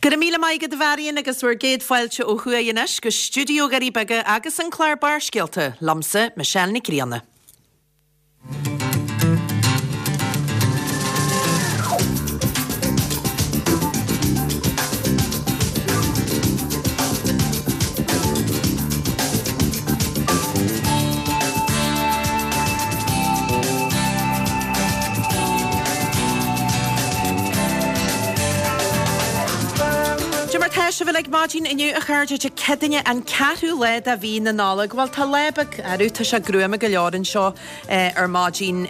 Go raibh míle maith agat a Mharion agus bhur gcéad fáilte ó thuaidh anois go stiúideo Dhoirí Beaga agus an clár Barrscéalta, liomsa, Michelle Nic Grianna. Dé mar tá sibh uilig maidin inniu a chairde Dé Céadaoine an ceathrú lá de mhí na Nollag. Bhuel tá lá beag, arú tá sé gruama go leor anseo ar maidin.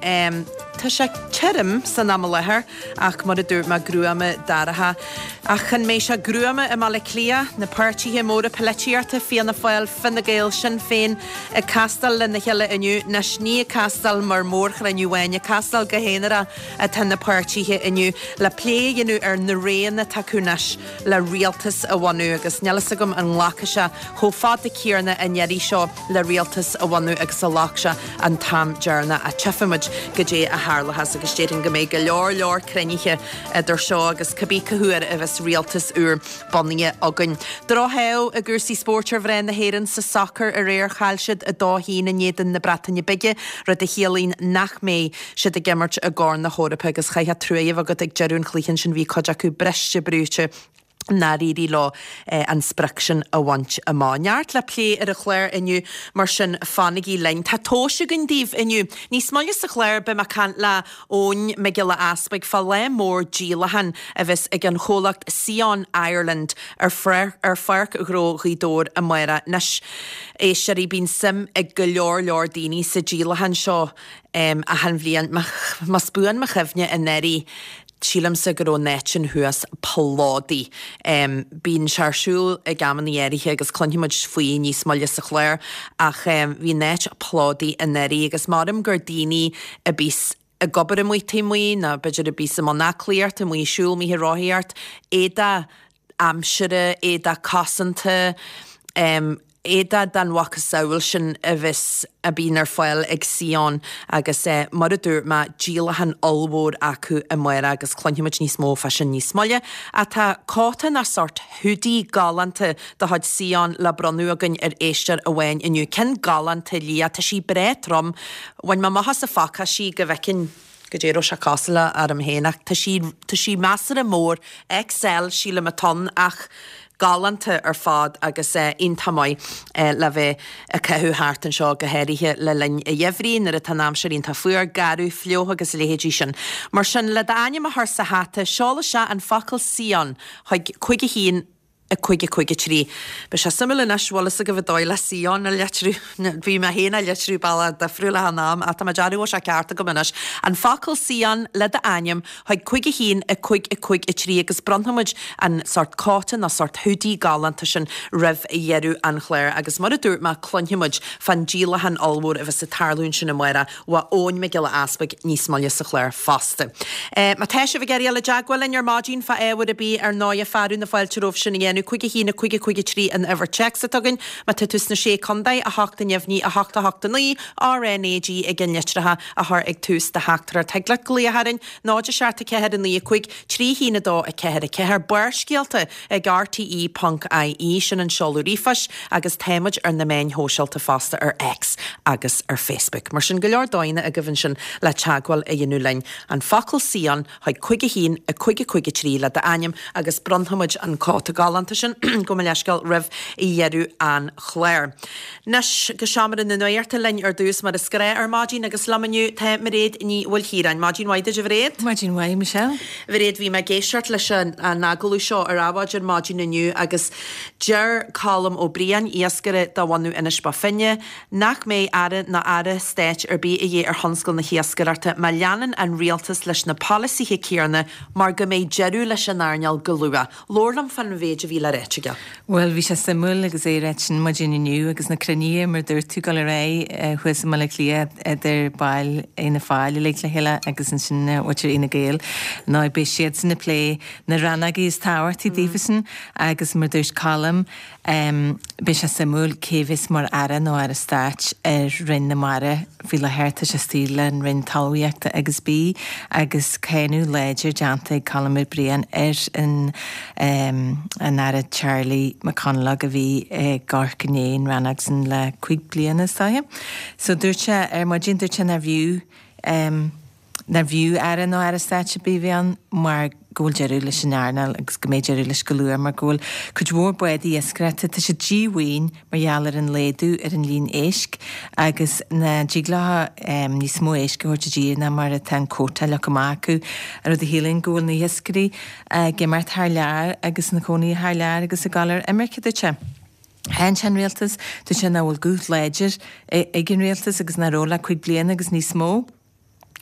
Tá sé tirim san am i láthair ach mar a dúirt mé gruama dorcha. Ach an mbeidh sé gruama i mBaile Átha Cliath? Na páirtithe móra polaitíochta, Fianna Fáil, Fine Gael, Sinn Féin, ag castáil lena chéile inniu. Anois ní ag castáil mar mhórchruinniú amháin, ag castáil go haonarach atá na páirtithe inniu le plé a dhéanamh ar na roghanna atá acu anois le rialtas a bhunú agus níl fhios agam an nglacfaidh sé chomh fada céanna an iarraidh seo le rialtas a bhunú agus a ghlac sé an t-am deireanach ach tchífidh muid goidé a tharlóchas agus déarfainn go mbeidh go leor leor cruinnithe idir seo agus cibé cá huair a bheas rialtas úr bunaithe againn. Drochádh i gcúrsaí spóirt ar mhná na hÉireann sa sacar aréir. Chaill siad 2-1 in éadan na Breataine Bige, rud a chiallaíonn nach mbeidh siad ag imirt i gCorn na hEorpa agus chaithfeá trua a bheith agat ag deireadh an chluiche ansin bhí cuid acu briste brúite nár éirigh leo an sprioc sin a bhaint amach. Neart le plé ar an chlár inniu mar sin fanaigí linn. Tá tomhais againn daoibh inniu. Níos moille sa chlár beidh mé ag caint le Eoin Mac Giolla Easpaig fá lá mór díolacháin a bheas ag an chomhlacht Sion Ireland ar Pháirc Ghnó Ghaoth Dobhair amárach. Anois, éisteoirí, bíonn suim ag go leor leor daoine sa díolachán seo achan bhliain. Más buan mo chuimhne anuraidh, sílimse go raibh an áit sin thuas plódaithe. Bíonn sé ar siúl ag amanna áirithe agus cluinfidh muid faoi níos moille sa chlár ach bhí an áit plódaithe anuraidh agus maram gur daoine a bíos ag obair amuigh taobh amuigh nó b'fhéidir a bíos i mbun aclaíochta, amuigh ag siúl, amuigh ag rothaíocht, éadach aimsire, éadach cosanta, éadach den mhacasamhail sin a bheas, a bhíonn ar fáil ag Sion agus mar a dúirt mé, díolachán ollmhór acu amárach agus cluinfidh muid níos mó fá sin níos moille. Ach tá cóta nó sórt hoodie galánta de chuid Sion le bronnadh againn ar éisteoir amháin inniu. Ceann galánta liath, tá sí breá trom. Bhain mé amach as a phacáistí go bhfeicfinn goidé a raibh sé cosúil le orm féin ach tá sí, tá sí measartha mór, XL sílim atá ann ach galánta ar fad agus iontach maith le bheith ag caitheamh thart anseo go háirithe le linn an gheimhridh nuair atá an aimsir iontach fuar, garbh, fliuch agus a leithéidí sin. Mar sin, le d'ainm a chur sa hata, seol isteach an focal Sion chuig 5 1 5 5 3. Beidh sé suimiúil anois, bhfuil fhios agaibh an dóigh le Sion a litriú. Bhí mé féin á litriú bealach difriúil achan am ach tá mé ag déanamh go bhfuil sé ceart agam anois. An focal Sion le d'ainm chuig 5 1 5 5 3 agus bronnfaidh muid an sórt cóta nó sórt hoodie galánta sin roimh dheireadh an chláir agus mar a dúirt mé cluinfidh muid fán díolachán ollmhór a bheas ag tarlú ansin amárach uaidh Eoin Mac Giolla Easpaig níos moille sa chlár fosta. Má tá sibh ag iarraidh dul i dteagmháil linn ar maidin fá ábhar ar bith, ar ndóighe, fearadh na fáilte romhaibh sin a dhéanamh. 5 1 5 5 3 an uimhir téacs atá againn. Má tá tú sna Sé Contae, 8 neamhní 8 8 9, RNAG ag an litreacha a chur ag tús do theachtaireacht. Thig leat glaoch orainn, 0 7 4 9 5 3 1 2 4 4. Barrscéalta ag rte.ie, sin an seoladh ríomhphoist, agus tá muid ar na meáin shóisialta fosta ar X agus ar Facebook. Mar sin, go leor dóigheanna agaibh ansin le teagmháil a dhéanamh linn. An focal Sion chuig 5 1 5 5 3 le d'ainm agus bronnfaidh muid an cóta galánta sin, gabh mo leithscéal, roimh dheireadh an chláir. Anois go seomra na nuachta linn ar dtús mar is gnáth ar maidin agus liom inniu tá Mairéad Ní Mhaoilchiaráin. Maidin mhaith duit a Mhairéad. Maidin mhaith Michelle. Mhairéad, bhí mé ag éisteacht leis an agallamh seo ar Adhmhaidin ar maidin inniu agus deir Colm Ó Briain, iascaire de bhunadh Inis Bó Finne, nach mbeidh aire ná aire stáit ar bith a dhíth ar thionscal na hiascaireachta má leanann an rialtas leis na polasaithe céanna mar go mbeidh deireadh leis an earnáil go luath. Labhair liom fán mhéid a bhí. bhí le ráit aige. Bhuel, bhí sé suimiúil agus é ag ráit sin maidin inniu agus na cruinnithe, mar a dúirt tú, ag dul ar aghaidh thuas i mBaile Átha Cliath idir baill Fhianna Fáil uilig le chéile agus ansin muintir Fhine Gael. Nó beidh siadsan ag plé na rannógaí is tábhachtaí daofasan agus mar a dúirt Colm, Beidh sé suimiúil cé bheas mar Aire nó Aire Stáit ar Roinn na Mara faoi láthair. Tá sé istigh le an Roinn Talmhaíochta agus Bídh agus cáineadh láidir déanta ag Colm Ó Briain ar an an Aire Charlie McConalogue a bhí ag amharc i ndiaidh an rannóg san le 5 bliana is dóiche. So dúirt sé ar maidin, dúirt sé nárbh fhiú Nárbh fhiú Aire nó Aire Stáit ar bith a bheith ann mar go bhfuil deireadh leis an earnáil agus go mbeidh deireadh leis go luath mar go bhfuil cuid mhór bádaí iascaireachta, tá siad díomhaoin mar gheall ar an laghdú ar an líon éisc agus nach dtig leo níos mó éisc a thabhairt i dtír ná mar atá an quota leagtha amach acu, rud a chiallaíonn go bhfuil na hiascairí ag imeacht thar lear agus ina cónaí thar lear agus ag dul ar imirce, dúirt sé. Cháin sé an rialtas, dúirt sé nach bhfuil guth láidir ag an rialtas agus nach raibh le 5 bliana agus níos mó.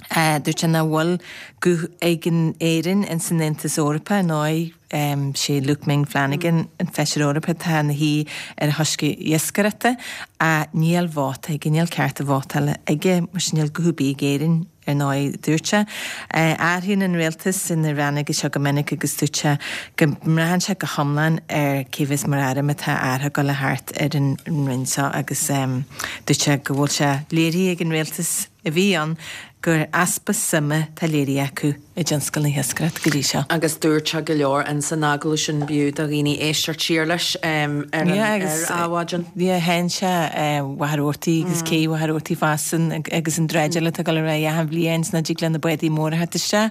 Dúirt sé nach bhfuil guth ag an Éirinn ins an Aontas Eorpach, ar ndóigh sé Luke Ming Flanagan an Feisire Eorpach atá ina shuí ar an choiste iascaireachta ach níl vóta aige, níl cearta vótála aige mar sin níl guth ar bith ag Éirinn. Ar ndóigh, dúirt sé, athraíonn an rialtas na rannóga seo go minic agus dúirt sé go mbraitheann sé go hiomlán ar cé bheas mar aire má tá athrú ag dul a theacht ar an roinn seo agus dúirt sé go bhfuil sé léirithe ag an rialtas a bhí ann gur easpa suime atá léirithe acu i dtionscal na hiascaireachta go dtí seo. Agus dúirt sé go leor ins an agallamh sin, b'fhiú do dhaoine éisteacht siar leis ar an Adhmhaidin. Yeah, cháin sé Mhachaire Rabhartaigh agus cé Mhachaire Rabhartaigh fosta agus an dráideáil atá ag dul ar aghaidh achan bhliain is nach dtig le na bádaí móra theacht isteach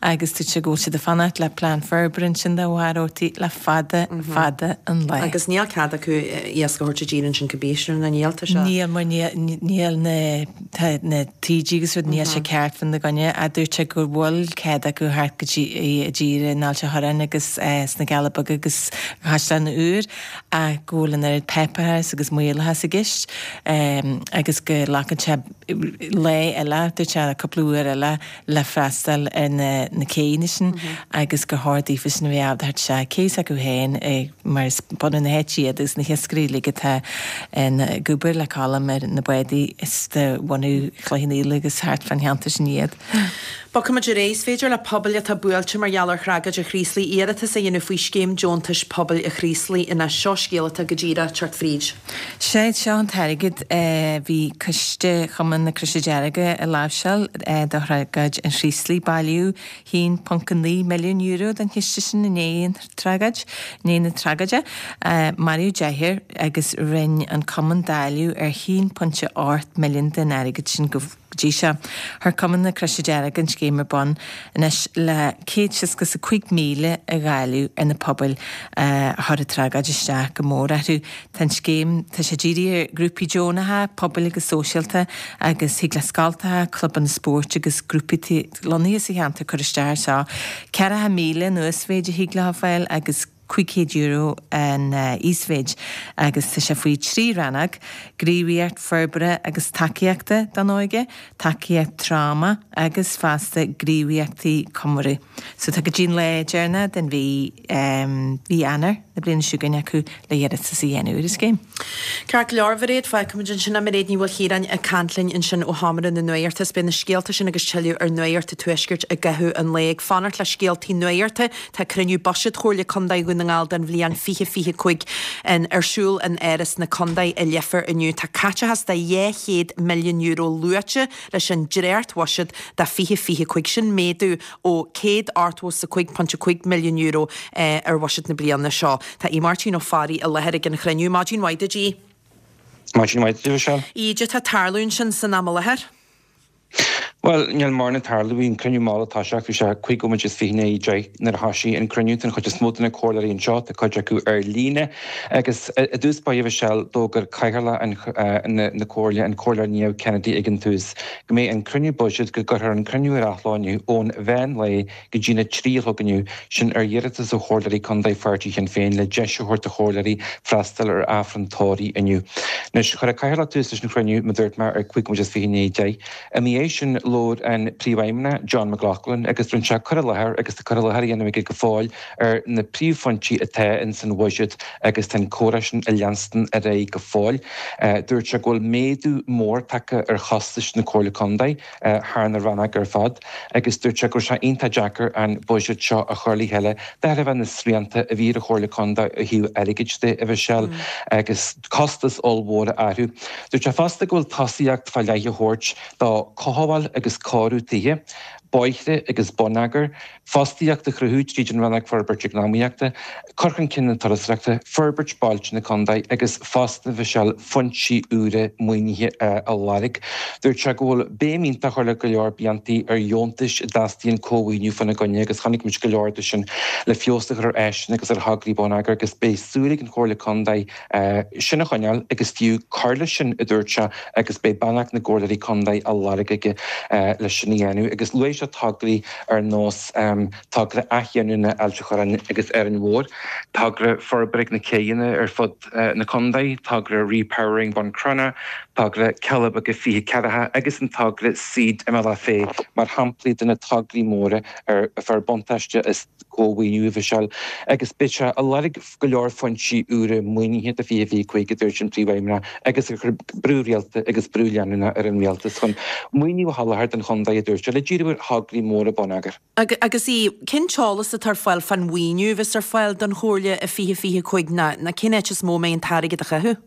agus dúirt sé go bhfuil siad ag fanacht le plean forbartha ansin do Mhachaire Rabhartaigh le fada, fada an lá. Agus níl cead acu iasc a thabhairt i dtír ansin cibé, sin nó níl, tá sé. Níl mar níl na Tá na taoidí agus rud, níl sé ceart fá na gcoinne ach dúirt sé go bhfuil cead acu theacht go dtí i dtír in Ailt an Chorráin agus sna Cealla Beaga agus Caisleán Iúir ach go bhfuil an oiread páipéarachas agus maorlathas i gceist agus go nglacann sé lá eile, dúirt sé cúpla uair eile le freastal ar na na céanna sin agus gur chóir daofa sin a bheith ábalta theacht isteach cé s'acu féin mar is bunadh na háite iad agus na hiascairí uilig atá ag obair le Colm ar na bádaí is de bhunadh Chloich Cheann Fhaola agus thart fán cheantar sin iad. Bogfaimid ar aghaidh. Is féidir le pobail atá buailte mar gheall ar thragóid an Chraoslaigh iarratas a dhéanamh faoi Scéim Deontais Pobail an Chraoslaigh anois. Seo scéal atá go díreach ag teacht fríd. Sé seo an t-airgead a bhí Coiste Chumann na Croise Deirge a láimhseáil do thragóid an Chraoslaigh. Bailíodh €1.9 milliún don chiste sin i ndiaidh an tragóid, i ndiaidh na tragóide. Maraíodh deichniúr agus rinne an cumann dáileadh ar €1.8 milliún den airgead sin go dtí seo. Chuir Cumann na Croise Deirge an scéim ar bun anois le 165,000 a dháileadh ar na pobail a chuir an tragóid isteach go mór orthu. Tá an scéim, tá sé dírithe ar ghrúpaí deonacha, pobail agus sóisialta agus thig le scoltacha, clubanna spóirt agus grúpaí atá lonnaithe sa cheantar cur isteach air seo. 40,000 an uasmhéid a thig leo a fháil agus. €500 an íosmhéid agus tá sé faoi thrí rannóg, gníomhaíocht forbartha agus tacaíochta don óige, tacaíocht tráma agus fosta gníomhaíochtaí comóraidh. So tá go dtí an lá deireanach den mhí, mhí Eanáir na bliana seo chugainn acu le iarratas a dhéanamh ar an scéim. Ceart go leor, a Mhairéad, fágfaimid ansin é. Mairéad Ní Mhaoilchiaráin ag caint linn ansin ó Sheomra na Nuachta. Is beidh na scéalta sin agus tuilleadh ar Nuacht an Tuaiscirt i gcaitheamh an lae. Ag fanacht le scéaltaí nuachta, tá cruinniú Buiséid Chomhairle Contae Dhún na nGall don bhliain 2025 ar siúl in Áras na Contae i Leifear inniu. Tá caiteachas de €200 milliún luaite leis an dréacht-bhuiséad do 2025, sin méadú ó €185.5 milliún ar bhuiséad na bliana seo. Tá Aodh Máirtín Ó Fearraigh i láthair ag an chruinniú. Maidin mhaith duit, Aodh. Maidin mhaith duit, a Mhichelle. Aodh, cad tá ag tarlú ansin san am i láthair? Bhuel, níl mórán ag tarlú. Bhí an cruinniú mall ag toiseacht. Bhí sé 5 nóiméad is 20 i ndiaidh 10 nuair a thoisigh an cruinniú. Tá an chuid is mó de na comhairleoirí anseo, tá cuid acu ar líne. Agus i dtús báire, a Mhichelle, d'fhógair cathaoirleach na comhairle, an Comhairleoir Niamh Kennedy ag an tús, go mbeidh an cruinniú buiséid, go gcuirfear an cruinniú ar athló inniu ón mheán lae go dtí'n 3 a chlog inniu, sin ar iarratas ó chomhairleoirí contae pháirtí Shinn Féin le deis a thabhairt do chomhairleoirí freastal ar Aifreann tórraimh inniu. Anois, chuir an cathaoirleach tús leis an chruinniú, mar a dúirt mé, ar 25 nóiméad i ndiaidh 10. Ina dhiaidh sin, labhair. Labhair an Príomhfheidhmeannach, John McLaughlin, agus rinne sé cur i láthair agus tá cur i láthair á dhéanamh aige go fóill ar na príomhphointí atá ins an bhuiséad agus tá an comhrá sin ag leanstan ar aghaidh go fóill. Dúirt sé go bhfuil méadú mór tagtha ar chostais na Comhairle Contae thar na rannóga ar fad agus dúirt sé go raibh sé iontach deacair an buiséad seo a chur le chéile de thairbhe na srianta a bhí ar an Chomhairle Contae ó thaobh airgid de, a Mhichelle, agus costais ollmhóra orthu. Dúirt sé fosta go bhfuil tosaíocht fá leith á thabhairt do chothabháil agus cóiriú tithe, bóithre agus bonneagar, fostaíocht a chruthú tríd an Rannóg Forbairt Eacnamaíochta, cur chun cinn na turasóireachta, forbairt bailte na contae agus fosta, a Mhichelle, foinsí úra maoinithe a lorg. Dúirt sé go bhfuil béim iontach á chur le go leor bliantaí ar dheontais a dteastaíonn cómhaoiniú faoina gcoinne agus chonaic muid go leor de sin le feabhas a chur ar áiseanna agus ar thograí bonneagair agus beidh súil ag an Chomhairle Contae sin a choinneáil agus fiú cur leis sin, a dúirt sé, agus beidh beannacht na gComhairleoirí Contae á lorg aige leis sin a dhéanamh. Agus luaigh sé tograí ar nós togra athdhéanamh Ailt an Chorráin agus Árainn Mhór, togra forbartha na céidheanna ar fud na contae, togra Repowering Buncrana, togra Cealla Beaga 20 Ceathracha agus an togra Seed i mBealach Féich mar shamplaí de na tograí móra ar fearr buntáiste as cómhaoiniú, a Mhichelle, agus beidh sé ag lorg go leor foinsí úra maoinithe do 2025, a dúirt an Príomhfheidhmeannach, agus ag cur brú rialta agus brú leanúnach ar an Rialtas chun maoiniú a sholáthar don chontae, a dúirt sé, le díriú ar thograí móra bonneagair. Agus í, cén t-eolas atá ar fáil fán mhaoiniú a bheas ar fáil don Chomhairle i 2025 ná cén áit is mó a mbeidh an t-airgead á chaitheamh?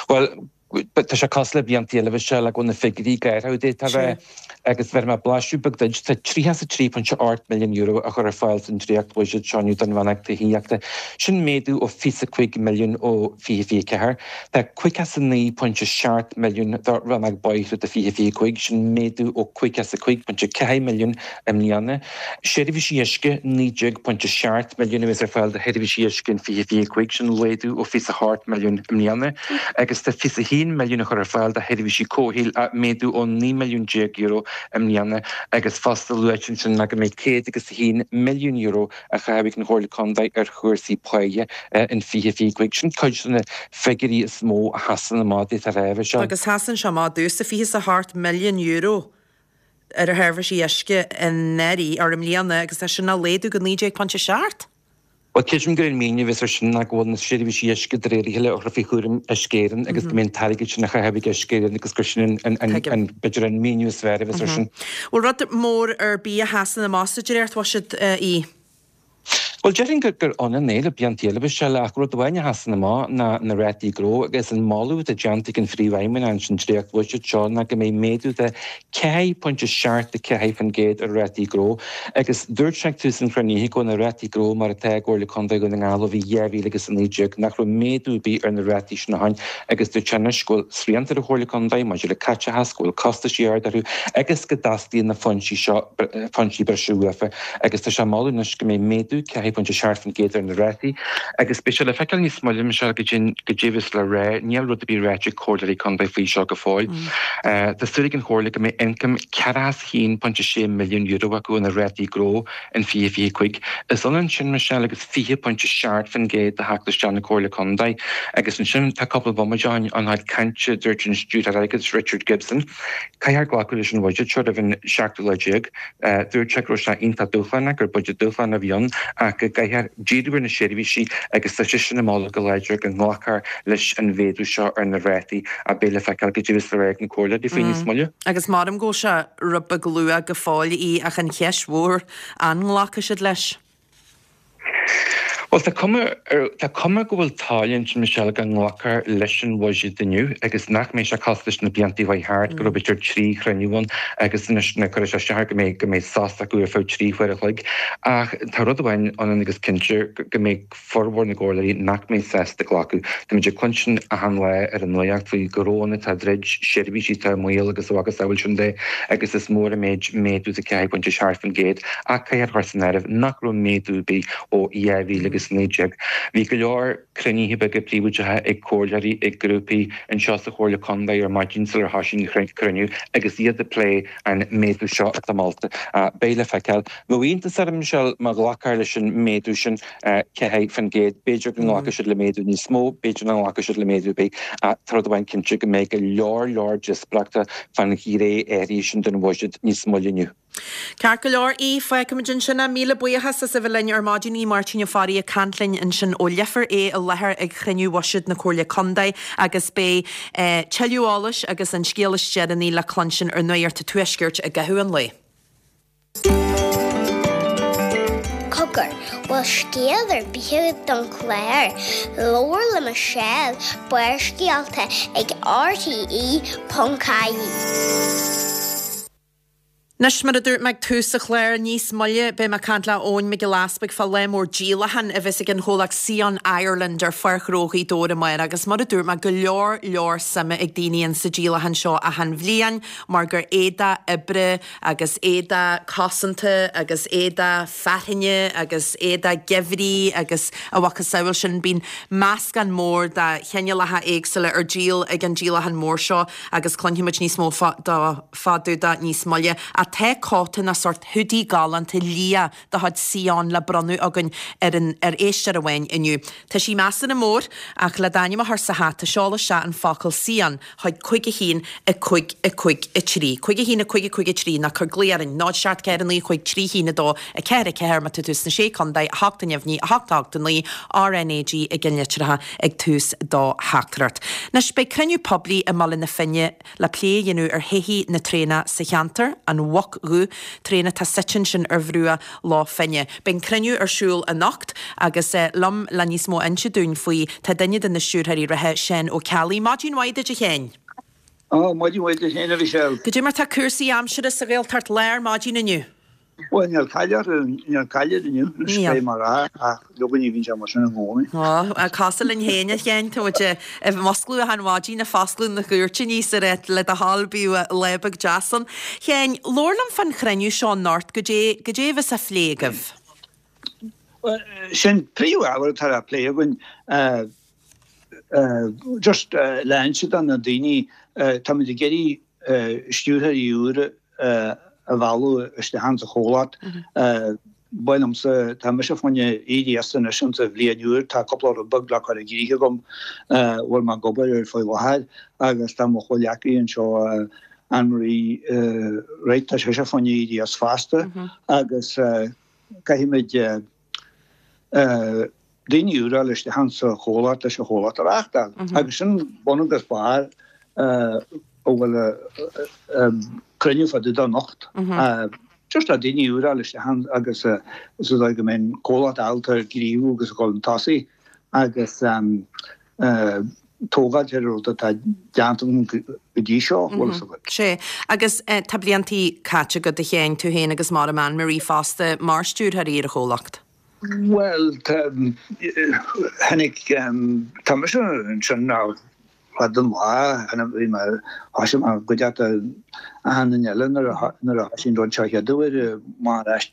Bhuel, Tá sé cosúil le blianta eile a Mhichelle go bhfuil na figiúirí gairid d'fhéadfá a rá agus bhéarfaidh mé blaiseadh beag duit. Tá €33.8 milliún á chur ar fáil san dréacht-bhuiséad seo inniu don rannóg tithíochta. Sin méadú ó 25 milliún ó 2024. Tá 59.7 milliún do rannóg bóithre do 2025, sin méadú ó 55.4 milliún i mbliana. Seirbhísí uisce, 19.7 milliún a bheas ar fáil do sheirbhísí uisce in 2025, sin laghdú ó 28 milliún i mbliana, agus tá 21 milliún á chur ar fáil do sheirbhísí comhshaoil, méadú ó 19 milliún euro i mbliana, agus fosta luaite ansin go mbeidh 101 milliún euro á chaitheamh ag an Chomhairle Contae ar chúrsaí páighe in 2025. Sin cuid de na figiúirí is mó a sheasann amach d'fhéadfá a rá, a Mhichelle. Agus sheasann sé amach domhsa, 28 milliún euro. ar a sheirbhísí uisce anuraidh, or i mbliana, agus tá sin á laghdú go 19.7. Bhuel, creidim gur an míniú a bheas ar sin ná go bhfuil na seirbhísí uisce de réir a chéile á chur faoi chúram Uisce Éireann agus go mbeidh an t-airgead sin á chaitheamh ag Uisce Éireann agus gur sin an, an, b'fhéidir an míniú is fearr a bheas ar sin. Bhfuil rud mór ar bith a sheasann amach sa dréachtbhuiséad, í? Bhuel, déarfainn gur ionann é le blianta eile, a Mhichelle, ach rud amháin a sheasann amach ná na rátaí gnó agus an moladh atá déanta ag an Phríomhfheidhmeannach ins an dréacht-bhuiséad seo ná go mbeidh méadú de 4.74% ar rátaí gnó agus dúirt sé ag tús an chruinnithe go bhfuil na rátaí gnó mar atá i gComhairle Contae Dhún na nGall ó bhí 2019, nach raibh méadú ar bith ar na rátaí sin ó shin agus dúirt sé anois go bhfuil srianta ar an Chomhairle Contae maidir le caiteachas, go bhfuil costaisí ard orthu agus go dteastaíonn na foinsí seo, foinsí breise uafa. agus tá sé ag moladh anois go mbeidh méadú 4.7% ar na rátaí agus beidh sé le feiceáil níos moille, Michelle, goidé a bheas le rá. Níl rud ar bith ráite ag comhairleoirí contae faoi seo go fóill. Tá súil ag an Chomhairle go mbeidh ioncam €41.6 milliún acu ó na rátaí gnó in 2025. Is ionann sin, Michelle, agus 20.7% de theacht isteach na Comhairle Contae agus ansin tá cúpla bomaite ó shin ann cainte, dúirt an Stiúrthóir Airgeadais Richard Gibson, Caithfear glacadh leis an bhuiséad seo roimh an seachtú lá déag. Dúirt sé go raibh sé iontach dúshlánach, gur buiséad dúshlánach a bhí ann ach go gcaithfear díriú ar na seirbhísí agus tá seisean ag moladh go láidir go nglacfar leis an mhéadú seo ar na rátaí ach beidh le feiceáil goidé a bheas le rá ag na comhairleoirí faoi níos moille. Agus maram go bhfuil sé rud beag luath go fóill í ach an cheist mhór, an nglacfaidh siad leis? Bhuel, tá cuma ar, tá cuma go bhfuil toil ansin, Michelle, go nglacfar leis an bhuiséad inniu agus nach mbeidh sé cosúil leis na blianta a chuaigh thart, go raibh b'fhéidir 3 chruinniú ann agus anois na cuirfidh sé isteach go mbeidh, go mbeidh sos acu ar feadh 3 huair a chloig. Ach tá rud amháin ionann agus cinnte, go mbeidh formhór na gcomhairleoirí nach mbeidh sásta glacadh. Táimid ag cluinstin achan lá ar an nuacht faoi ghnóanna atá ag druid, seirbhísí atá i mbaol agus a mhacasamhail sin de agus is mór an méid méadú de 4.7%. Ach caithfear a chur san áireamh nach raibh méadú ar bith ó 2019. 2019. Bhí go leor cruinnithe beaga príobháideacha ag comhairleoirí, ag grúpaí anseo sa Chomhairle Contae ar maidin sular thosaigh an cruinniú agus iad ag plé an méadú seo atá molta. Beidh le feiceáil. Bheadh iontas orm, Michelle, má ghlacfar leis an méadú sin 4%. B'fhéidir go nglacfaidh siad le méadú níos mó, b'fhéidir nach nglacfaidh siad le méadú ar bith. Ach tá rud amháin cinnte, go mbeidh go leor leor díospóireachta fán ghné áirithe sin den bhuiséad níos moille inniu. Ceart go leor, Aodh, fágfaimid ansin é. Míle buíochas as a bheith linn ar maidin. Aodh Máirtín Ó Fearraigh ag caint linn ansin ó Leifear, é i láthair ag chruinniú bhuiséad na Comhairle Contae agus beidh tuilleadh eolais agus an scéal is deireanaí le cluinstin ar Nuacht an Tuaiscirt i gcaitheamh an lae. Cogar, bhfuil scéal ar bith agat don chlár? Labhair le Michelle, Barrscéalta ag RTE.ie. Anois, mar a dúirt mé ag tús an chláir, níos moille beidh mé ag caint le Eoin Mac Giolla Easpaig fá lá mór díolacháin a bheas ag an chomhlacht Sion Ireland ar Pháirc Ghnó Ghaoth Dobhair amárach agus mar a dúirt mé, go leor leor suime ag daoine insa díolachán seo achan bhliain mar gur éadach oibre agus éadach cosanta agus éadach fearthainne agus éadach geimhridh agus a mhacasamhail sin. Bíonn meascán mór de chineálacha éagsúla ar díol ag an díolachán mór seo agus cluinfimid níos mó fá fá dtaobh de níos moille. Ach tá cóta nó sórt hoodie galánta liath de chuid Sion le bronnadh againn ar an ar éisteoir amháin inniu. Tá sí measartha mór ach le d'ainm a chur sa hata seol isteach an focal Sion chuig 5 1 5 5 3. 5 1 5 5 3 nó cuir glao orainn 0 7 4 9 5 3 1 2 4 4 má tá tú sna Sé Contae, 8 neamhní, 8 8 9, RnaG i gceannlitreacha ag tús do theachtaireacht. Anois beidh cruinniú poiblí i mBaile na Finne le plé a dhéanamh ar thodhchaí na traenach sa cheantar, an Mhuc Dhubh, traein atá suite ansin ar bhruach Loch Finne. Beidh an cruinniú ar siúl anocht agus liom le níos mó a inse dúinn faoi tá duine de na stiúrthóirí reatha, Seán Ó Ceallaigh. Maidin mhaith duit a Sheáin. Ó, maidin mhaith duit féin a Mhichelle. Goidé mar tá cúrsaí aimsire sa Ghaeltacht Láir maidin inniu? Bhuel, níl caill orthu, níl caill air inniu, anois beidh mar a, ach leoga ní bhíonn sé mar sin i gcónaí. Ó, cosúil linn féin, a Sheáin, tá muid ag musclú achan mhaidin, ag foscladh na gcúirtíní sa áit, le do thoil, bíodh lá beag deas ann. Sheáin, labhair liom fán chruinniú seo anocht, goidé, goidé a bheas á phlé agaibh? Bhuel, sin príomhábhar atá á plé againn, just le inse do na daoine, táimid ag iarraidh stiúrthóirí úra a mhealladh isteach insa chomhlacht. Ba mhaith liomsa, tá mise fá choinne éirí as anois insa bhliain úr, tá cúpla rud beag le cur i gcrích agam a bhfuil mé ag obair air faoi láthair agus tá mo chomhghleacaí anseo, Anne Marie Wright, tá sise fá choinne éirí as fosta agus caithfimid daoine úra a fháil isteach insa chomhlacht leis an chomhlacht a reáchtáil. Agus sin bun agus barr a bhfuil cruinniú fá dtaobh de anocht. Just le daoine úra a fháil isteach ann agus sa dóigh go mbeidh an comhlacht ábalta gníomhú agus a dhul chun tosaigh agus tógáilt ar an rud atá déanta againn go dtí seo, bhfuil fhios agat. Sea. Agus tá bliantaí caite agat, a Sheáin, tú féin agus maram Anne Marie fosta, mar stiúrthóirí ar an chomhlacht. Bhuel, tháinig, tá mise ansin fad an lá, bhí mé, thosaigh mé i gcuideachta achan duine eile nuair a nuair a thosaigh an rud seo chéad uair, amach ar ais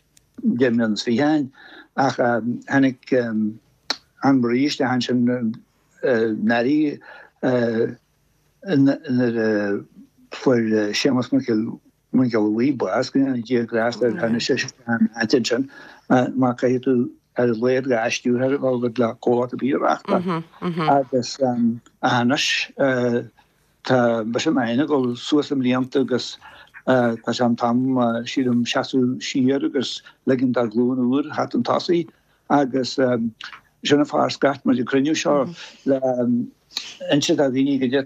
25 mbliana ó shin, ach tháinig Anne Marie isteach ansin anuraidh nuair a fuair Séamus Mac Mac Giolla Bhuí bás, go ndéana Dia grásta air, tháinig sise isteach ina áit ansin, mar caithfidh tú ar a laghad 2 stiúrthóir a bheith agat le comhlacht ar bith a reáchtáil. Agus anois tá mise féin ag dul suas i mblianta agus tá sé an t-am, sílim, seasamh siar agus ligean do ghlúin úr theacht chun tosaigh. Agus sin an fáth ar scairt muid an cruinniú seo le inse do dhaoine goidé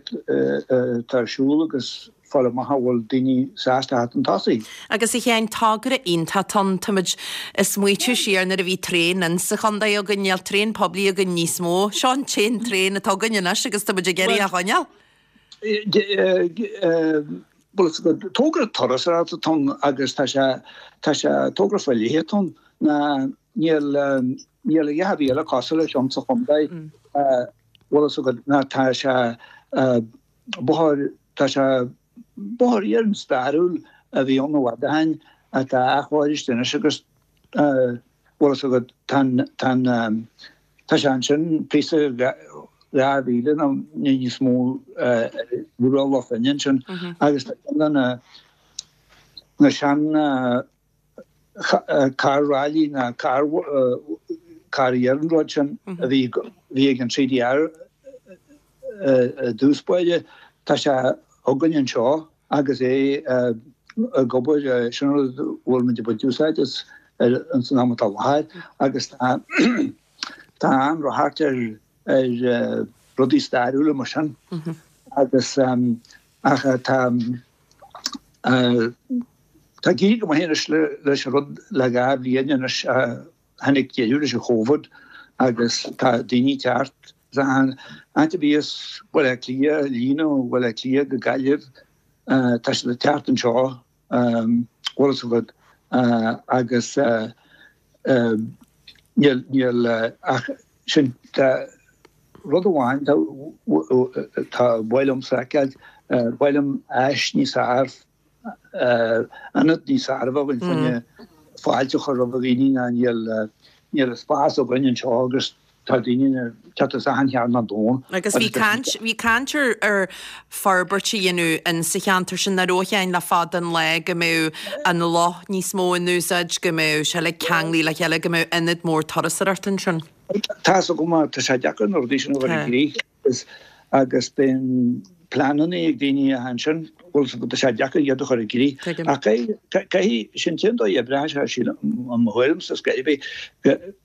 atá ar siúl agus fáil amach an bhfuil daoine sásta theacht chun tosaigh. Agus a Sheáin, togra iontach atá ann. Táimid ag smaoitiú siar nuair a bhí traein in sa chontae againn, níl traein poiblí againn níos mó. Seo an t-aon traein atá againn anois agus táimid ag iarraidh é a choinneáil. Bhuel, togra turasóireachta atá ann agus tá sé, tá sé, togra faoi leith atá ann ná níl, níl a dhath ar bith eile cosúil leis ann sa chontae, bhfuil fhios agat, ná tá sé bóthar, tá sé bóthar iarainn stairiúil a bhí ann i bhfad ó shin atá athchóirithe anois agus bhfuil fhios agat, tá an, tá an. Tá sé ansin píosa 2000 nó níos mó ar bhruach Loch Finne ansin agus tá ceann de na na sean carr ráillí ná carr carr iarnróid sin a bhí bhí ag an CDR i dtús báire. Tá sé againn anseo agus é ag obair, sin an rud a bhfuil muid ag baint úsáid as san am atá i láthair agus tá tá an-ráchairt ar ar rudaí stairiúla mar sin agus ach tá tá ag éirí go maith anois leis an rud le 2 bhliain anois Tháinig deireadh leis an Chóvid agus tá daoine ag teacht. Áit a bhíos Baile Átha Cliath, líne ó Bhaile Átha Cliath go Gaillimh, tá siad ag teacht anseo, bhfuil fhios agat, agus níl, níl ach sin, tá rud amháin tá, tá ba mhaith liomsa a fheiceáil, ba mhaith liom áis níos fearr ionad níos fearr a bheith againn fá choinne fáilte a chur roimh dhaoine ná níl níl an spás againn anseo agus tá daoine ag teacht as achan chearn den domhan. Agus bhí caint, bhí caint ar ar forbairt a dhéanamh in sa cheantar sin nach raibh a Sheáin le fada an lá go mbeadh an loch níos mó in úsáid, go mbeadh sé uilig ceanglaithe le chéile, go mbeadh ionad mór turasóireachta ansin. Tá's agam, tá sé deacair na rudaí sin a chur i gcrích. agus bíonn pleananna ag daoine ansin, bhfuil fhios agat, tá sé deacair iad a chur i gcrích. Ach caithfidh, sin an dóigh a oibreoidh sé, sílim, i mo thuairimse, scor ar bith,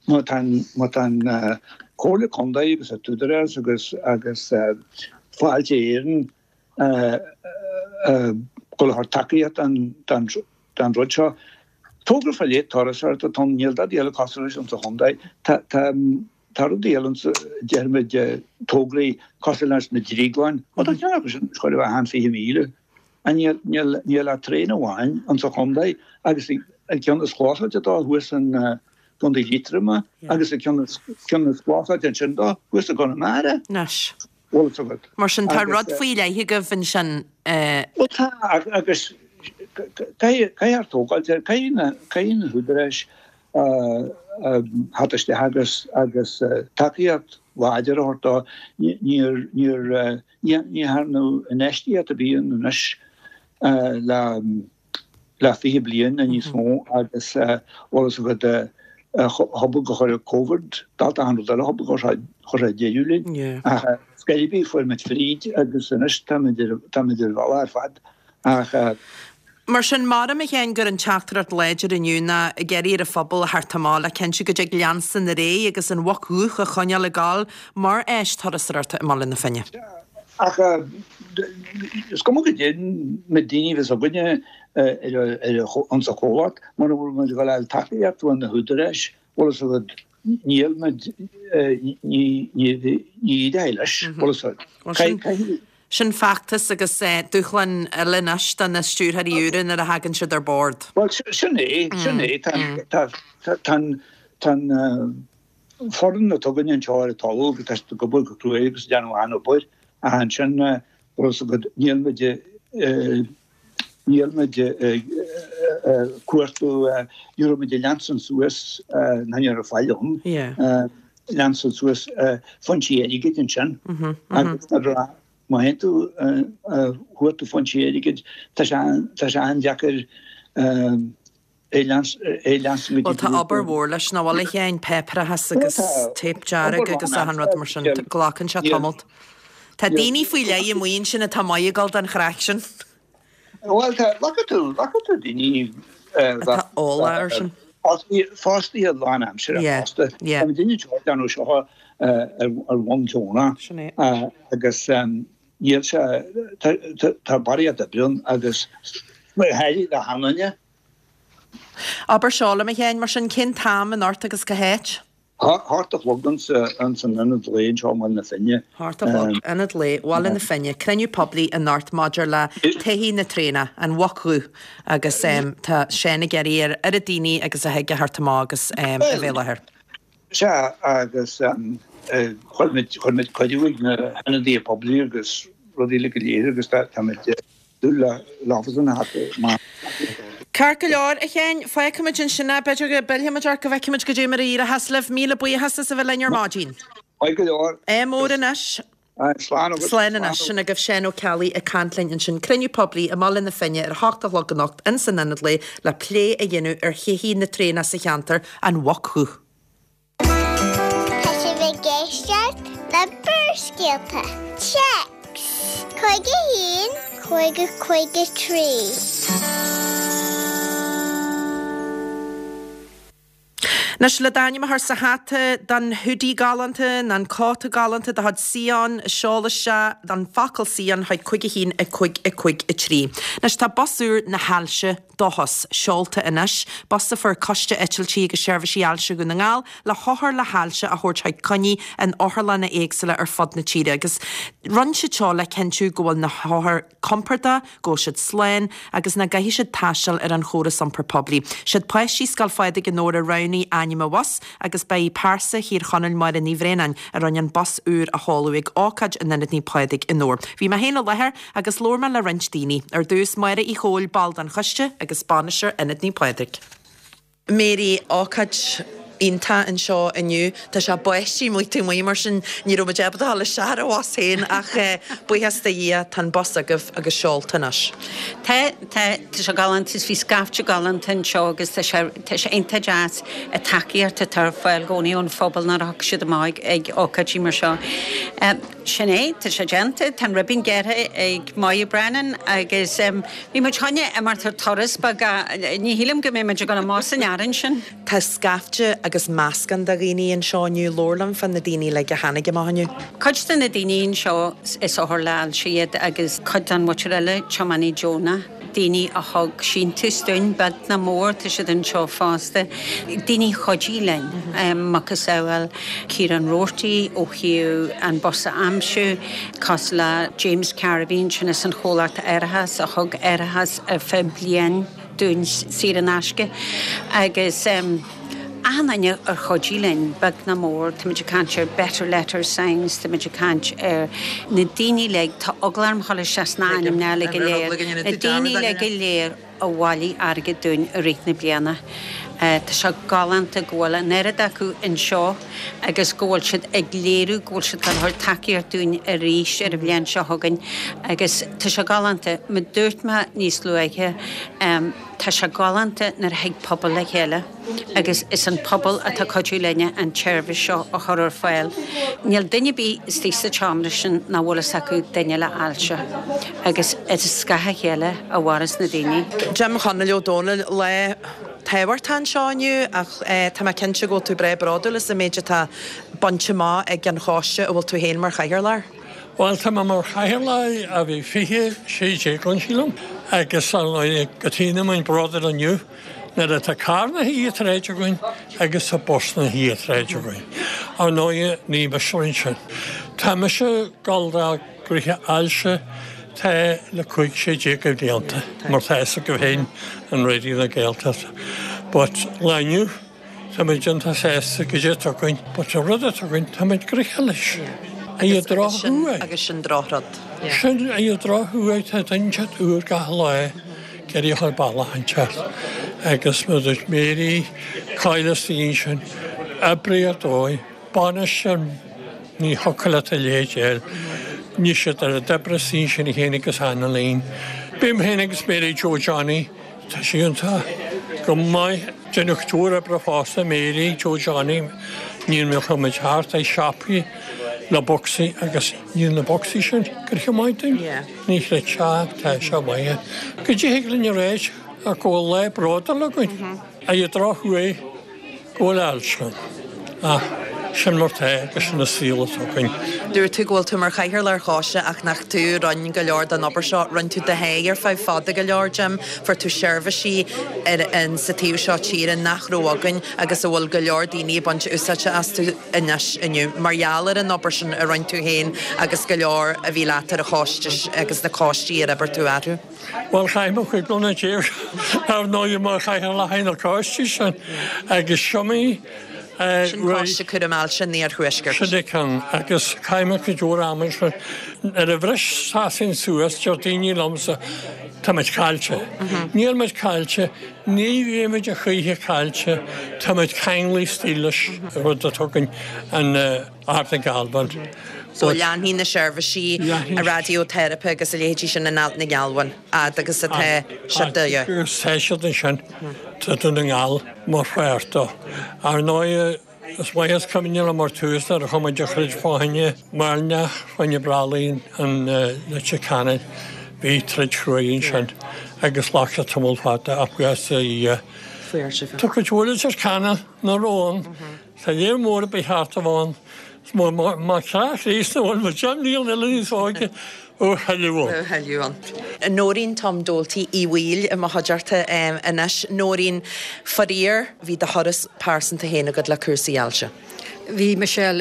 má tá an, má tá an Comhairle Contae agus an tÚdarás agus, agus Fáilte Éireann ag dul a chur tacaíocht don rud seo. Togra fá leith turasóireachta atá ann, níl dadaí eile cosúil leis insa chontae. Tá, tá. Tá rudaí eile ann, déarfaimid, tograí cosúil leis na drioglainn. Ó tá ceann acu sin chóir a bheith achan 20,000. Níl, níl, níl ach traein amháin insa chontae agus an ceann is clósáilte dó thuas in gContae Liatroma agus an ceann is, ceann is clósáilte ansin dó thuas i gConamara. Anois. Bhfuil fhios agat. Mar sin tá rud faoi leith agaibh ansin. Bhuel tá agus caithfidh, caithfear tógáilt air, caithfidh na, caithfidh na húdaráis theacht isteach agus agus tacaíocht láidir a thabhairt dó. Níor, níor, ní dhearnadh infheistíocht ar bith ann anois le le 20 bliain nó níos mó agus bhfuil fhios agat chomh gur chuir Covid, dalta achan rud eile chomh gur chuir sé deireadh linn. Ach scor ar bith fuair muid fríd agus anois táimid ar táimid ar bhealach ar fad ach Mar sin, maram a Sheáin gur an teachtaireacht láidir inniu ná ag iarraidh ar an phobal a theacht amach le cinntiú go dtig leanstan ar aghaidh agus an Mhuc Dhubh a choinneáil ag gabháil mar áis turasóireachta i mBaile na Finne. Ach is cuma goidé na daoine a bheas againne ar an chomhlacht, mura bhfuil muid ag dul a fháil tacaíocht ó na húdaráis, bhfuil fhios agat, níl muid, ní éireoidh leis, bhfuil fhios agat. Sin feachtas agus dúshlán eile anois do na stiúrthóirí úra nuair a thagann siad ar bord. Bhuel, sin é, sin é. Tá, tá, tá an, tá an foireann atá againn anseo ar an talamh agus tá siad ag obair go cruaidh agus ag déanamh an-obair ach ansin, bhfuil fhios agat, níl muid, níl muid ag cuartú, ní raibh muid ag leanstan suas, ná ní raibh faill ann, leanstan suas foinsí airgid ansin agus nuair a, má théann tú ag cuartú foinsí airgid, tá sé, tá sé an-deacair é leanstan go dtí. Bhuel tá obair mhór leis, nach bhfuil a Sheáin, páipéarachas agus téip dearg agus achan rud mar sin, glacann sé tamalt. Tá daoine faoi leith amuigh ansin atá maith ag dul don chraic sin. Bhuel tá, glacann tú, glacann tú daoine atá eolach ar sin. Fostaithe lánaimseartha fosta. Tá daoine anseo ag déanamh seo ar bhonn deonach agus níl sé, tá barraíocht oibre ann agus go háirithe do sheanduine. Abair seo liom, a Sheáin, mar sin, cén t-am anocht agus cá háit? Hocht a chlog ins an Ionad Lae anseo i mBaile na Finne. Hocht a chlog, Ionad Lae, Bhaile na Finne, cruinniú poiblí anocht maidir le todhchaí na traenach, an Mhuc Dhubh, agus tá Seán ag iarraidh ar oiread daoine agus a thig a theacht amach agus a bheith i láthair. Sea, agus chuir muid, chuir muid cuireadh ag na hionadaithe poiblí agus rudaí eile go léir agus táimid. Ceart go leor, a Sheáin, fágfaimid ansin é. B'fhéidir go bpillfimid ort go bhfeicfimid goidé mar a éireochas libh. Míle buíochas as a bheith linn ar maidin. Maith go leor. Ádh mór anois. Slán agat. Slán anois. Sin agaibh Seán Ó Ceallaigh ag caint linn ansin. Cruinniú poiblí i mBaile na Finne ar a hocht a chlog anocht ins an Ionad Lae le plé a dhéanamh ar thodhchaí na traenach sa cheantar, An Mhuc Dhubh. Tá sibh ag éisteacht le Barrscéalta. Téacs 51 50 53. Anois, le d'ainm a chur sa hata don hoodie galánta nó an cóta galánta de chuid Sion, seol isteach an focal Sion chuig 5 1 5 5 3. Anois, tá bus úr na hAilse, Dóchas, seolta anois, bus a fuair Coiste Eitiltí agus Seirbhísí Ailse Dhún na nGall le hothair le hailse a thabhairt chuig coinní in otharlanna éagsúla ar fud na tíre agus rinne siad seo le cinntiú go bhfuil na hothair compordach, go bhfuil siad slán agus nach gcaithfidh siad taisteal ar an chóras iompair poiblí. Siad páistí Scoil Phádraig i nDobhar a roghnaigh ainm an bhus agus ba í pearsa Thír Chonaill Máire Ní Bhraonáin a rinne an bus úr a sheoladh ag ócáid in Ionad Naomh Pádraig i nDobhar. Bhí mé féin i láthair agus labhair mé le roinnt daoine. Ar dtús, Máire Uí Chomhaill, ball den choiste agus bainisteoir Ionad Naomh Pádraig. Mary, Ócáid iontach anseo inniu. Tá sé báistí amuigh taobh amuigh mar sin ní raibh muid ábalta dul isteach ar an bhus féin ach buíochas do Dhia tá an bus agaibh agus seolta anois. Tá, tá, tá sé galánta is bhí scaifte galánta anseo agus tá sé, tá sé iontach deas an tacaíocht atá ar fáil i gcónaí ón phobal nuair a thiocfaidh siad amach ag ócáidí mar seo. Sin é, tá sé déanta, tá an ribín gearrtha ag Moya Brennan agus bhí muid chun imeacht ar turas beag ach ní shílim go mbeidh muid ag dul amach san fhearann sin. Tá scaifte agus meascán de dhaoine anseo inniu, labhair liom fá na daoine uilig a tháinig amach inniu. Cuid de na daoine anseo is othair le hailse iad agus cuid den mhuintir eile tiománaí deonach. daoine a thug síntiús dúinn, beag ná mór, tá siad anseo fosta, daoine a chuidigh linn, macasamhail Ciarán Roarty ó thaobh an bus a aimsiú, cosúil le James Carr a bhí ansin as an chomhlacht árachais a thug árachas ar feadh bliain dúinn saor in aisce agus. Achan duine ar chuidigh linn, beag ná mór, táimid ag caint ar Better Letter Signs, táimid ag caint ar na daoine uilig, tá eagla orm dhul isteach sna hainmneacha uilig go léir, na daoine uilig go léir a bhailigh airgead dúinn i rith na bliana. Tá sé galánta go bhfuil an oiread acu anseo agus go bhfuil siad ag léiriú go bhfuil siad ag tabhairt tacaíocht dúinn arís ar an bhliain seo chugainn agus tá sé galánta. Mar dúirt mé níos luaithe, tá sé galánta nuair a thig pobal le chéile. agus is an pobal atá ag cuidiú linne an tseirbhís seo a chur ar fáil. Níl duine ar bith istigh sa tseomra sin nach bhfuil fhios acu duine le ailse agus is as a chéile a mhaireas na daoine. Jim Chonaill Ó Dónaill, lá tábhachtach anseo inniu ach tá mé cinnte go bhfuil tú breá bródúil as an méid atá bainte amach ag an choiste a bhfuil tú féin mar chathaoirleach air. Bhuel, tá mé mar chathaoirleach ó bhí 2016 ann, sílim, agus ar ndóigh go dtéann muid bródúil inniu. Nuair atá carr na hiathréid againn agus tá bus na hiathréid againn. Ar ndóighe, ní mise a rinne sin. Tá mise ag dul do ghnoithe ailse tá le 15 sé de bhlianta, mar tá fhios agaibh féin an Raidió na Gaeltachta. But lá inniu, Tá muid iontach sásta goidé atá againn, but an rud atá againn, tá muid gnoitheach leis. An drochthuar. Agus sin drochrud. Sin an drochthuar, tá duine inteacht úr gach lá ag iarraidh a chur bealach inteacht. Agus mar a dúirt Mary, cáil is daoine sin, oibrigh ar dóigh, bainisteoir, ní thiocfadh leat a leithéid a fháil. Ní siad ar a d'oibrigh daoine sin féin agus Annaleen. Bím féin agus Mary Joe Johnny, Tá sí iontach go maith. Déanadh cuid mhór oibre fosta, Mary Joe Johnny, níl mé chuir muid thart ag siopaí le bocsaí agus níl na bocsaí sin gnoitheach maith dúinn. Ní chreidfeá, tá sé maith. Go dtig linn a ráit ach go bhfuil lá bródúil againn. Ar an drochuair, Go bhfuil ailse ann. Ach sin mar tá agus sin an saol atá againn. Dúirt tú go bhfuil tú mar chathaoirleach ar choiste ach nach tú a rinne go leor den obair seo. Rinne tú do sháith ar feadh fada go leor, Jim. Fuair tú seirbhísí ar an sa taobh seo tíre nach raibh againn agus a bhfuil go leor daoine ag baint úsáide astu anois inniu mar gheall ar an obair sin a rinne tú féin agus go leor a bhí leat ar an choiste agus na coistí ar oibir tú orthu. Bhuel, chaith mé 15 bliana ar ndóigh mar chathaoirleach ar na coistí sin agus siomaí Sin Coiste Cúraim Ailse an Iarthuaiscirt. Sin é ceann agus chaith mé cuid mhór ama ansin. Nuair a bhris Sasain suas, deir daoine liomsa. Tá muid caillte. Níl muid caillte, ní bheidh muid a choíche caillte, tá muid ceanglaithe istigh leis an rud atá againn, an Ard na Gealbhan. So leanfaidh na seirbhísí raidióteiripe agus a leithéidí sin in Ailt na nGealbhan fhad agus atá siad de dhíth. Agus tá siad ansin, tá Dún na nGall mar pháirt dó. Ar ndóigh, Is maith is cuimhin liom ar tús nuair a chuaigh muid ag troid fá choinne Mairnéalach, fá choinne Brolly in Leitir Ceanainn, bhí troid chruaidh ansin agus ghlac sé tamall fada ach buíochas do Dhia. Tá cuid mhór Leitir Ceanainn nach raibh ann, tá léir mór ar bith thart a bheith ann, má ceá Chríost nó bhfuil muid deich mbliana eile níos óige Ó thuilleadh ann. Nóirín Tom Doalty Uí Bhaoill i mo chuideachta anois. Nóirín, faraor, bhí do thuras pearsanta féin agat le cúrsaí ailse. Bhí, Michelle.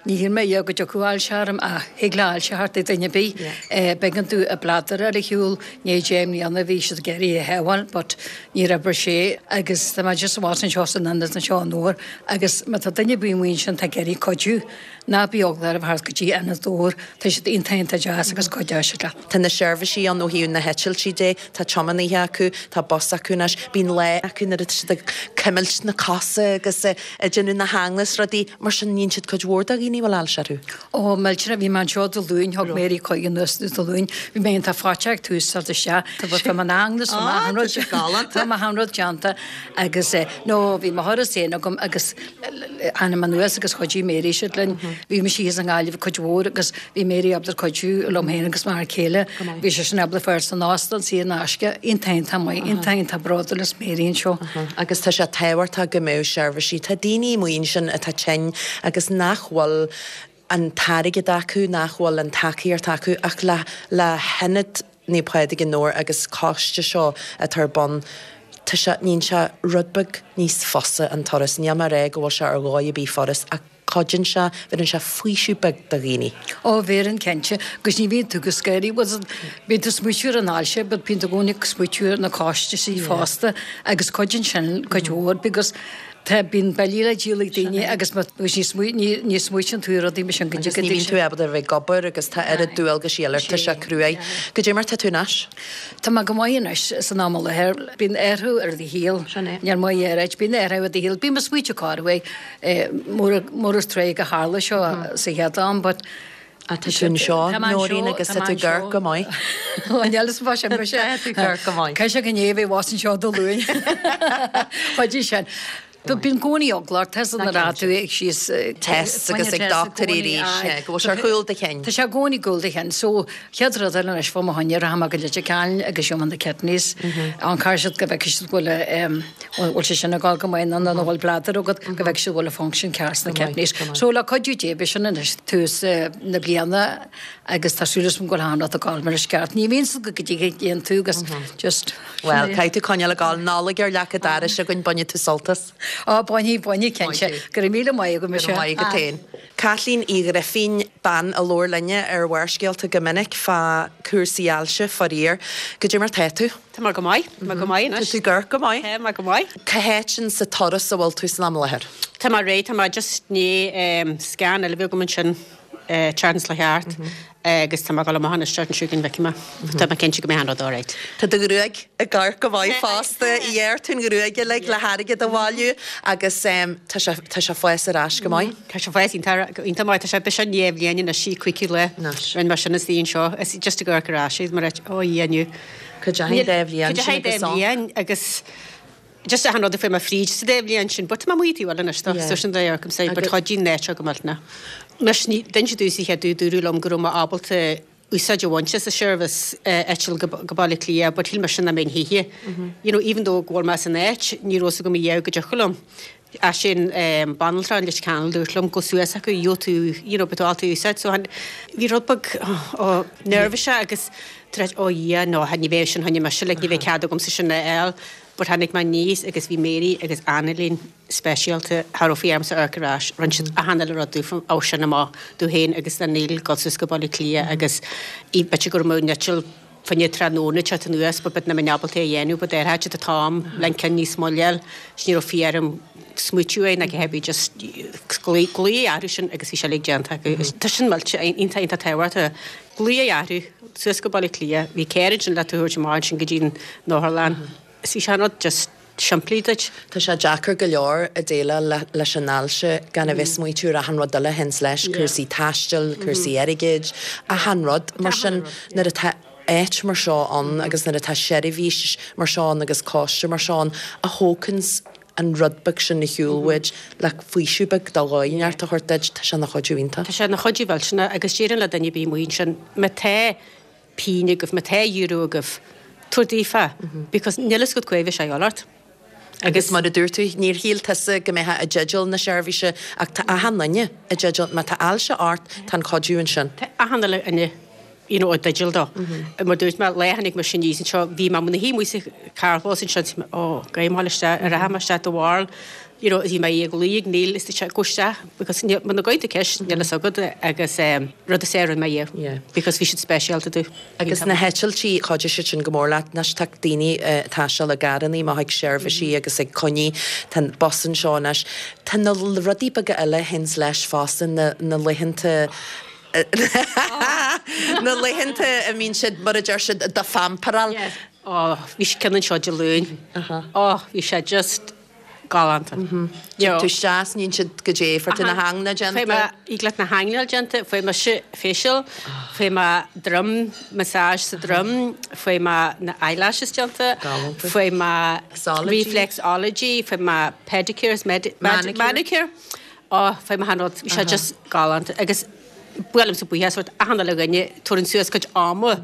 Ní shíl mé riamh go dtiocfadh ailse orm ach thig le ailse theacht ar duine ar bith. B'éigean domh an bladar a fháil ar shiúl i ndiaidh 10 mbliana bhí siad ag iarraidh é a shábháil but níor oibrigh sé agus tá mé just abhus anseo san ionad anseo i nDobhar agus má tá duine ar bith amuigh ansin atá ag iarraidh cuidiú Ná bíodh eagla oraibh theacht go dtí Ionad Dobhair, tá siad iontach iontach deas agus cuideoidh siad leat. Tá na seirbhísí ann ó thaobh na heitiltí de, tá tiománaithe acu, tá bus acu anois, bíonn lá acu nuair atá siad ag cuimilt na cosa agus ag déanamh na heangla is rudaí mar sin, níonn siad cuid mhór de dhaoine a bhfuil ailse orthu. Ó, millteanach, bhí mé anseo Dé Luain, thug Mary chuige anuas Dé Luain, bhí mé iontach faiteach ag tús teacht isteach, tá m'eangla is tá achan rud, tá achan rud déanta agus no, bhí mo thuras féin agam agus Tháinig mé anuas agus chuidigh Mary siad linn. Bhí mise thíos i nGaillimh cuid mhór agus bhí Mary ábalta cuidiú liom féin agus m'fhear céile. Bhí seisean ábalta fáil san óstán saor in aisce. Iontach iontach maith, iontach iontach bródúil as Mary anseo. Agus tá sé tábhachtach go mbeadh seirbhísí. Tá daoine amuigh ansin atá tinn agus nach bhfuil an t-airgead acu, nach bhfuil an tacaíocht acu ach le le hIonad Naomh Pádraig i nDobhar agus coiste seo atá ar bun, tá sé, níonn sé rud beag níos fusa an turas. Níl mé a rá go bhfuil sé ar dhóigh ar bith furast ach cuidíonn sé, bheireann sé faoiseamh beag do dhaoine. Ó, bheireann cinnte, agus ní bhíonn tú go scary, bhuel, bíonn tú ag smaoitiú ar an ailse but bíonn tú i gcónaí ag smaoitiú ar na costaisí fosta agus cuidíonn sin cuid mhór because Tá, bíonn billí le díol ag daoine agus má, agus ní smaoi, ní, ní smaoitíonn tú ar rudaí mar sin go Agus ní bhíonn tú ábalta a bheith ag obair agus tá oiread dualgaisí eile ort, tá sé cruaidh. Goidé mar tá tú anois? Tá mé go maith anois san am i láthair. Bíonn athrú ar do shaol. Sin é. Níl maith ar áit, bíonn athrú ar do shaol. Bím ag smaoitiú corruair, mura, mura tréig a tharla seo sa chéad am but, Tá tú anseo, Nóirín, agus tá tú ag amharc go maith. Níl fhios fá sin mise. Tá tú ag amharc go maith. Caithfidh sé go ndéanfaidh bheith abhus anseo Dé Luain. Chuidigh sin. Bíonn i gcónaí eagla ort, tá san ar tú ag síos. Tests agus ag dochtúirí arís, go bhfuil sé ar chúl do chinn. Tá sé i gcónaí i gcúl do chinn. So, chéad rud eile anois fá mo choinne, rachaidh mé go Leitir Ceanainn agus gheobhaidh mé na kidneys. An caithfidh siad go bhfeicfidh siad go bhfuil bhfuil sé sin ag dul go maith nó an bhfuil bladar agat go bhfeicfidh siad bhfuil an function ceart sna kidneys. So le cuidiú Dé beidh sin anois tús na bliana agus tá súil agam go bhfuil achan rud ag dul mar is ceart. Ní bhíonn siad go dtí go dtéann tú agus just Bhuel, caithfidh tú coinneáil ag dul. Nollaig ar leac an dorais againn, bainfidh tú sult as. Ó, bainfidh, bainfidh, cinnte. Go raibh míle maith agat, Michelle. Go raibh maith agat féin. Caitlín Uí Ghrifín, bean a labhair linne ar Bharrscéalta go minic fá cúrsaí ailse, faraor. Goidé mar tá tú? Tá mé go maith, tá mé go maith anois. Tá tú ag amharc go maith. Tá mé go maith. Cá háit in sa turas a bhfuil tú san am i láthair? Tá mé réidh, tá mé just i ndiaidh scan eile a bhí agam ansin tseachtain seo thart agus tá mé ag dul amach anois isteach anseo go bhfeicfidh mé. Tá mé cinnte go mbeidh an rud alright. Tá do ghruaig ag amharc go maith fosta. Ghearr tú an ghruaig uilig le hairgead a bhailiú agus tá sé tá sé fás ar ais go maith. Tá sé fás iontach iontach maith. Tá sé beidh sé i ndiaidh bhliain anois i cúigiú lá. Rinne mé sin istigh anseo. Is just ag amharc ar ais mar ó a Dhia inniu. Cuid de dá bhliain sin agus an. Bhliain agus just achan rud a fuair mé fríd sa dá bhliain sin, but tá mé amuigh taobh eile anois so sin dá amharc say, but chuidigh an áit seo go millteanach. Anois ní d'inse domhsa chéad dúradh dúradh liom go raibh mé ábalta úsáid a bhaint as an seirbhís eitilt go go Baile Átha Cliath but shíl mise nach mbeinn choíche. You know even though go bhfuil mé san áit ní raibh fhios agam a dhath go dtiocfadh liom. As sin banaltra in Leitir Ceanainn dúirt liom gabh suas acu gheobhaidh tú you know beidh tú ábalta úsáid so bhí rud beag oh neirbhíseach agus tar éis oh yeah no ní bheidh sin choinne mise like ní bheidh cead agamsa sin a fháil but tháinig mé aníos agus bhí Mary agus Annalene speisialta cha raibh faoi ormsa amharc ar ais rinne siad achan uile rud domh ó sin amach domh féin agus do Neil dul suas go Baile Átha Cliath agus b'fhéidir go raibh mé an eitilt. Fá choinne tráthnóna teacht anuas but but nach mbeinn ábalta é a dhéanamh but ar fhad an t-am le an ceann níos moille a fháil is ní raibh fiú orm smaoitiú air ná a dhath ar bith just glaoch glaoch orthu sin agus bhí sé uilig déanta acu. Tá sin millte iontach iontach tábhachtach. Glaoch orthu suas go Baile Átha Cliath bhí carr ansin le tú a thabhairt amach ansin go dtí an otharlann is bhí sé an rud just simplí duit. Tá sé deacair go leor ag déileáil leis an ailse gan a bheith ag smaoitiú ar achan rud eile a théanns leis, cúrsaí taistil, cúrsaí airgid, achan rud. Mar sin, nuair atá áit mar seo ann agus nuair atá seirbhís mar seo ann agus coiste mar seo ann a thóganns an rud beag sin ar shiúl uait le faoiseamh beag de dhóigh inteacht a thabhairt duit, tá sé ina chuidiú iontach. Tá sé ina chuidiú mhillteanach agus déarfainn le duine ar bith amuigh ansin, má tá pian agaibh, má tá euro agaibh, tabhair daofa, because níl fhios agat cá bhfuil sé a dhul ort. Agus mar a dúirt tú, níor shíl tusa go mbeifeá i dteideal na seirbhíse ach tá achan duine i dteideal, má tá ailse ort, tá an cuidiú ansin. Tá achan uile dhuine you know i dteideal dó. Mar dúirt mé, lá a tháinig mise aníos anseo, bhí mé i mo shuí amuigh sa carrchlós ansin, is mé, oh, gabh mo isteach, an rachaidh mé isteach do bharr, you know, bhí mé ag luí ag Neil is dúirt sé, gabh isteach because níl, muna gcuireann tú ceist, níl fhios agat agus rud is fearr a rinne mé yeah. Yeah. Because bhí siad speisialta domh. Agus na heitiltí, chuidigh siad sin go mór leat. Anois tá daoine ag taisteal i gcarrannaí amach ag seirbhísí agus ag coinní, tá an bus anseo anois. Tá na rudaí beaga eile a théanns leis fosta, na, na laethanta, na laethanta a mbíonn siad, mar a deir siad, do phamparáil. Yes. Oh, bhí ceann anseo Dé Luain. Oh, bhí sé just galánta. Tig tú isteach is níonn siad goidé, fuair tú na hingne déanta. Fuair mé ígleach na hingne déanta, fuair mise facial, fuair mé droim, massage sa droim, fuair mé na eyelashes déanta, fuair mé reflexology, fuair mé pedicure is manicure, oh fuair mé achan rud, bhí sé just galánta agus buailimse buíochas sórt achan uile dhuine, tabharann suas cuid ama.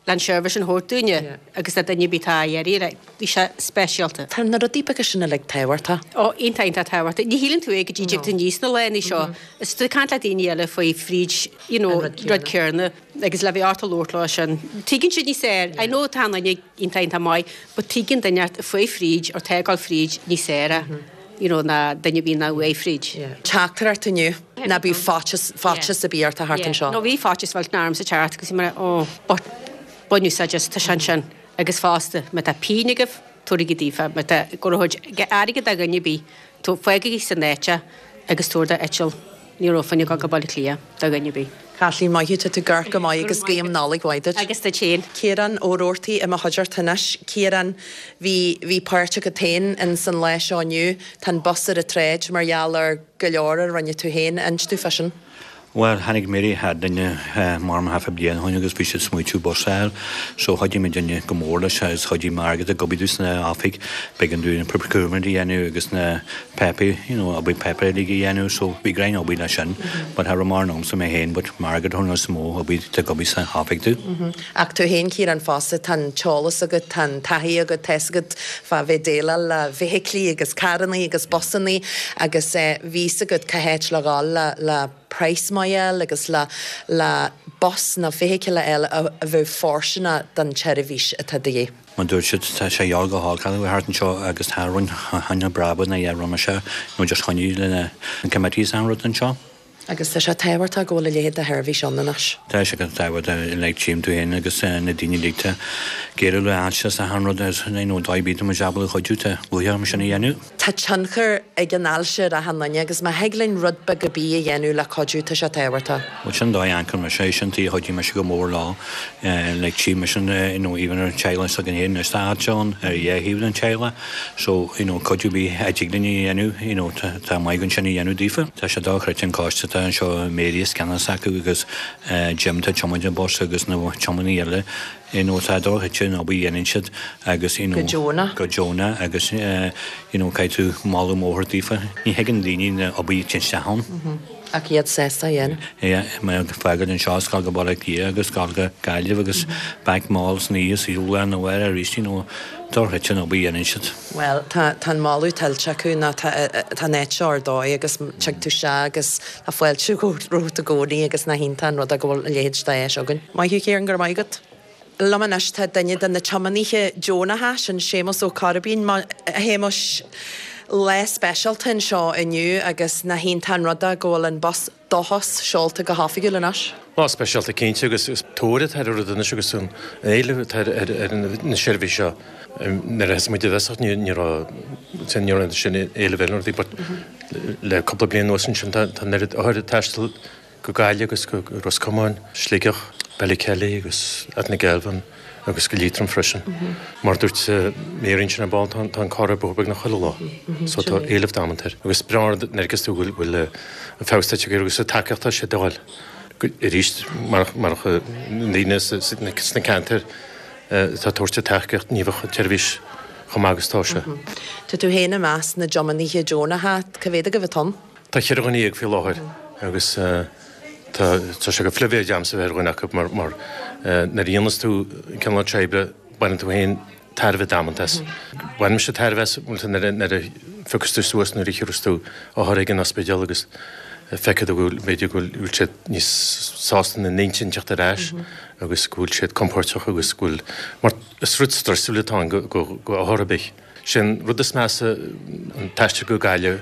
le an seirbhís sin a thabhairt dúinne agus le duine ar bith atá á iarraidh, bhí sé speisialta. Tá na rudaí beaga sin uilig tábhachtach. Ó, iontach, iontach tábhachtach. Ní shíleann tú é go dtí dtig tú aníos na laethanta seo. Is tú ag caint le daoine eile faoi fríd, you know, rud céarna agus le bheith ort a labhairt leo sin. Tuigeann siad níos fearr. I know tá an duine iontach, iontach maith, but tuigeann duine ort faoi fríd or tá ag dul fríd níos fearr é, you know, ná duine ar bith nach bhfuaigh fríd. Teachtaireacht inniu. Ná bíodh faitíos, faitíos ar bith ort a theacht anseo. No bhí faitíos millteanach ormsa teacht agus bhí mé oh but bain úsáid as, tá sé ansin agus fosta má tá pian agaibh tabharaigí daofa, má tá go raibh airgead do dhuine ar bith fágaigí san áit é agus tabhair do eitilt, ní raibh fá choinne dul go Baile Átha Cliath do dhuine ar bith. Caitlín, maith thú, tá tú ag amharc go maith agus guím Nollaig mhaith duit. Agus duit féin. Ciarán Ó Roarty i mo chuideachta anois. Ciarán, bhí, bhí páirt agat féin in san lá seo inniu. Tá an bus ar an tsráid mar gheall ar go leor a rinne tú féin. Inis domh fá sin. Bhuel, tháinig Mary chugainne mar half a bliain ó shin agus bhí siad smaoitiú bus a fháil so chuidigh muidinne go mór leis agus chuidigh Margaret ag obair dúinn sna oifig b'éigean dúinn procurement a dhéanamh agus na páipéir, you know, obair páipéir uilig a dhéanamh so bhí greim obair leis sin but cha raibh mórán agamsa mé féin but Margaret thug níos mó obair ag obair sa oifig domh. Ach tú féin Ciarán fosta, tá an t-eolas agat, tá an taithí agat, tá fhios agat fá bheith déileáil le feithiclí agus carrannaí agus busannaí agus bhí fhios agat cá háit le dhul le le praghas maith a fháil agus le le bus nó feithicil a fháil a bheadh fóirsteanach don tseirbhís atá de dhíth. Mar dúirt siad, tá sé gheall go holc a thart anseo agus tá roinnt choinne breaba na dheich roimhe seo nó just choinnigh le na committees an rud anseo. Agus tá sé tábhachtach go bhfuil a leithéid de sheirbhís ann anois. Tá sé go tábhachtach like tchím tú féin agus na daoine uilig tá ag éirí le ailse is achan rud is you know dóigh ar bith tá muid ábalta cuidiú tá luaithe orm sin a dhéanamh. Tá tionchar ag an ailse ar achan duine agus má thig linn rud beag ar bith a dhéanamh le cuidiú tá sé tábhachtach. Bhuel sin dóigh ancair mise é sin tuige a chuidigh mise go mór leo like tchím mise you know even ar an teaghlach s'againn féin anois tá ailse ann ar a dhá thaobh den teaghlach So, you know, cuidiú ar bith a dtig linn a dhéanamh, you know, tá maith againn sin a dhéanamh daofa. Tá sé dochreidte an coiste atá anseo, Mary is ceannas acu agus Jim atá ag tiomáint an bus agus na tiománaí eile, you know, tá dochreidte an obair a dhéanann siad agus, you know, Go deonach. Go deonach agus, you know, caithfidh tú moladh mór daofa. Ní thuigeann daoine na obair a téann isteach ann. Ach iad sásta a dhéanamh. Yeah, mé ag fágáil anseo is gabháil go Baile Átha Cliath agus gabháil go Gaillimh agus back mall san oíche is lá arna mhárach arís, you know, dochreidte an obair a dhéanann siad. Bhuel, tá, tá an moladh tuillte acu nó tá, tá an áit seo ar dóigh agus tig tú isteach agus tá fáilte romhat i gcónaí agus nach iontach an rud é go bhfuil a leithéid d'áis againn. Maith thú Ciarán, go raibh maith agat. Liom anois tá duine de na tiománaithe deonacha, sin Séamus Ó Coirbín. A Shéamuis. Lá speisialta anseo inniu agus nach iontach an rud é go bhfuil an bus Dóchas seolta go hoifigiúil anois. Lá speisialta cinnte agus is tóir atá ar an rud anois agus an éileamh atá ar na seirbhísí seo. Nuair a thosaigh muid i dtosach ní raibh ní raibh sin éileamh ar na rudaí but le cúpla bliain anuas ansin tá an oiread othair ag taisteal go Gaillimh agus go Ros Comáin, Sligeach, Ballykelly agus Altnagelvin agus go Liatroim freisin. Mar a dúirt Mary ansin ar ball, tá an carr ar bóthar beagnach chuile lá. So tá éileamh damanta air. Agus breá an rud nuair a fheiceas tú go bhfuil an feabhas tagtha air agus an tacaíocht atá sé d'fháil arís marach na daoine sna ceantair atá ag tabhairt an tacaíocht ní bheadh an tseirbhís chomh maith agus atá sé. Tá tú féin i measc na dtiománaithe deonacha. Cá mhéad agaibh atá ann? Tá cheithre dhuine faoi láthair agus tá sé go phribhléid a'msa bheith ar dhuine acu mar nuair a dhéanas tú an cineál seo oibre baineann tú féin tairbhe damanta as. Bainimse tairbhe as nuair a phiocas tú suas nuair a thiúras tú othar ag an ospidéal agus feicfidh tú go bhfuil b'fhéidir go bhfuil siad níos sásta ina n-intinn teacht ar ais agus go bhfuil siad compóirteach agus go bhfuil mar is rud stressúil atá ann go othar ar bith. Sé an rud is measa an t-aistear go Gaillimh,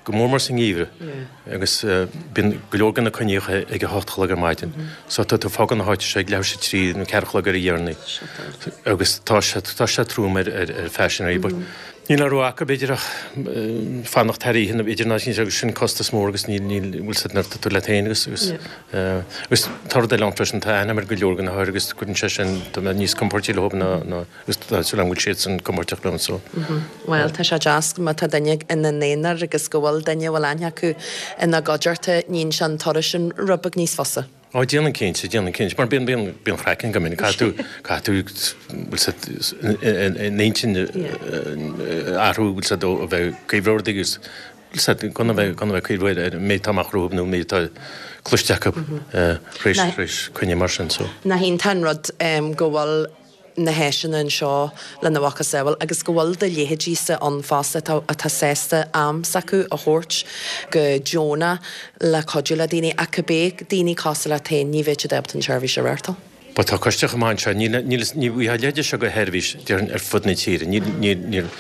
go mór mór sa ngeimhreadh, agus bíonn go leor de na coinníocha ag a hocht a chlog ar maidin. So tá tú ag fágáil na háite seo ag leathuair tar éis a trí nó ceathair a chlog ar a dheireanaí. Agus tá sé tá sé trom ar ar phaisinéirí but níl a rogha acu b'fhéidir ach fanacht thar oíche nó b'fhéidir ná agus sin costas mór agus níl níl bhfuil a fhios agat nuair atá tú leat féin agus agus agus tá rud eile ann freisin tá aithne agam ar go leor de na hothair agus cuireann sé sin tá mé níos compóirtí leo ná ná Agus tá súil agam go bhfuil siadsan compóirteach liom so. Bhuel, tá sé deas má tá duine ina n-aonar agus go bhfuil duine a bhfuil aithne acu ina gcuideachta, níonn sé an turas sin rud beag níos fusa. Ó, déanann cinnte, déanann cinnte, mar bíonn, bíonn, bíonn craic ann go minic, caithfidh tú, caithfidh tú, bhfuil a fhios agat, an intinn a athrú, bhfuil a fhios agat, ó bheith ag cuimhneamh ar rudaí agus, bhfuil a fhios agat, gan a bheith, gan a bheith ag cuimhneamh ar an méid atá amach romhaibh nó an méid atá cloiste acu tar éis, tar éis coinne mar sin, so. Nach iontach an rud go bhfuil na háiseanna anseo lena mhacasamhail agus go bhfuil do leithéidíse ann fosta atá atá sásta am s'acu a thabhairt go deonach le cuidiú le daoine ach cibé daoine cosúil leat féin ní bheadh siad ábalta an tseirbhís a reáchtáil. Bhuel tá coiste chomh maith anseo, níl níl ní bhfaighfeá a leithéid seo de sheirbhís déarfainn ar fud na tíre, níl níl níl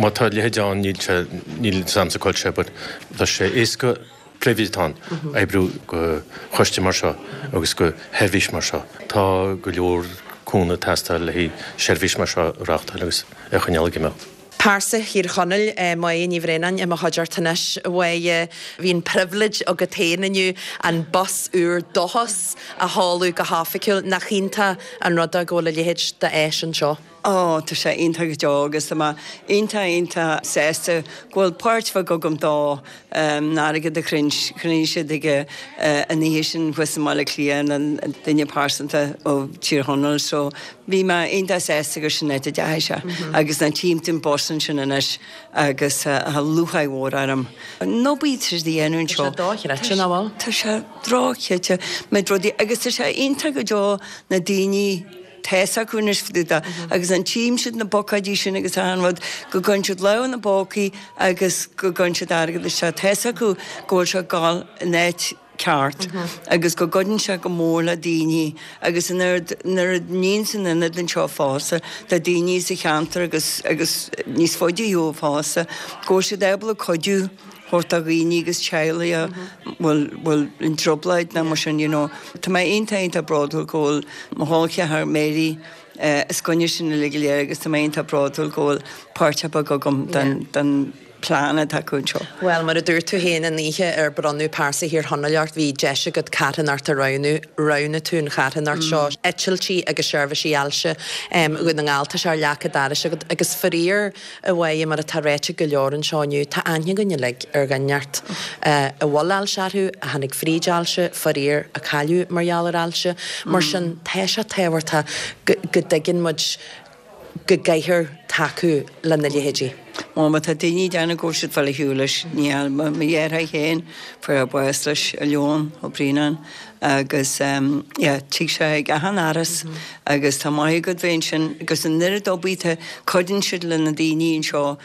má tá a leithéid ann níl sé níl 'fhios a'msa cá bhfuil sé but tá sé éasca Pribhléid atá ann oibriú do choiste mar seo agus do sheirbhís mar seo. Tá go leor cúnamh ag teastáil le haghaidh seirbhís mar seo a reáchtáil agus a choinneáil ag imeacht. Pearsa Thír Chonaill, Máire Ní Bhraonáin i mo chuideachta anois. A Mháire, bhí an pribhléid agat féin inniu an bus úr Dóchas a sheoladh go hoifigiúil. Nach iontach an rud é go bhfuil a leithéid d'áis anseo? Ó, tá sé iontach go deo agus tá mé iontach, iontach sásta go bhfuil páirt bheag agam dó, an airgead a chruinnigh siad ag an oíche sin thuas i mBaile Átha Cliath, an duine pearsanta ó Tír Chonaill so bhí mé iontach sásta gur sin áit a dteachaigh sé agus ná tchím an bus ansin anois agus tá lúcháir mhór orm. An obair atá siad a dhéanamh anseo. Tá sé dochreidte, nach bhfuil? Tá sé dochreidte, méid rudaí agus tá sé iontach go deo na daoine, tá 'fhios acu anois fá dtaobh de agus an tchím siad na bucáidí sin agus achan rud, go gcuireann siad lámh ina bpócaí agus go gcuireann siad airgead isteach. Tá 'fhios acu go bhfuil sé ag dul in áit ceart agus go gcuireann sé go mór le daoine agus an oiread, nuair a níonn san ionad anseo fosta, tá daoine sa cheantar agus, agus níos faide ó fosta, go bhfuil siad ábalta cuidiú. thabhairt do dhaoine agus teaghlaigh a bhfuil bhfuil i dtrioblóid nó mar sin you know. Tá mé iontach iontach bródúil go bhfuil mo chol ceathar Mary os coinne sin uilig go léir agus tá mé iontach bródúil go bhfuil páirt beag agam den den plean atá acu anseo. Bhuel, mar a dúirt tú féin an oíche ar bronnadh Pearsa Thír Chonaill ort, bhí deis agat carthanacht a roghnú. Roghnaigh tú an charthanacht seo, Eitiltí agus Seirbhísí Ailse Dhún na nGall. Tá sé ar leac an dorais agat agus faraor, A Mháire, mar atá ráite ag go leor anseo inniu, tá aithne againn uilig ar dhuine inteacht a bhfuil ailse orthu, a tháinig fríd ailse, faraor, a cailleadh mar gheall ar ailse. Mar sin, tá sé tábhachtach go dtuigeann muid go gcaithfear tacú lena leithéidí. Bhuel, má tá daoine ag déanamh go bhfuil siad fáil ar shiúl leis, ní hea, mo dheartháir féin, fuair sé bás leis, a Leon Ó Braonáin, agus yeah, tig sé ag achan áras agus tá maith agat bheith ansin agus an oiread obair atá, cuireann siad le na daoine anseo,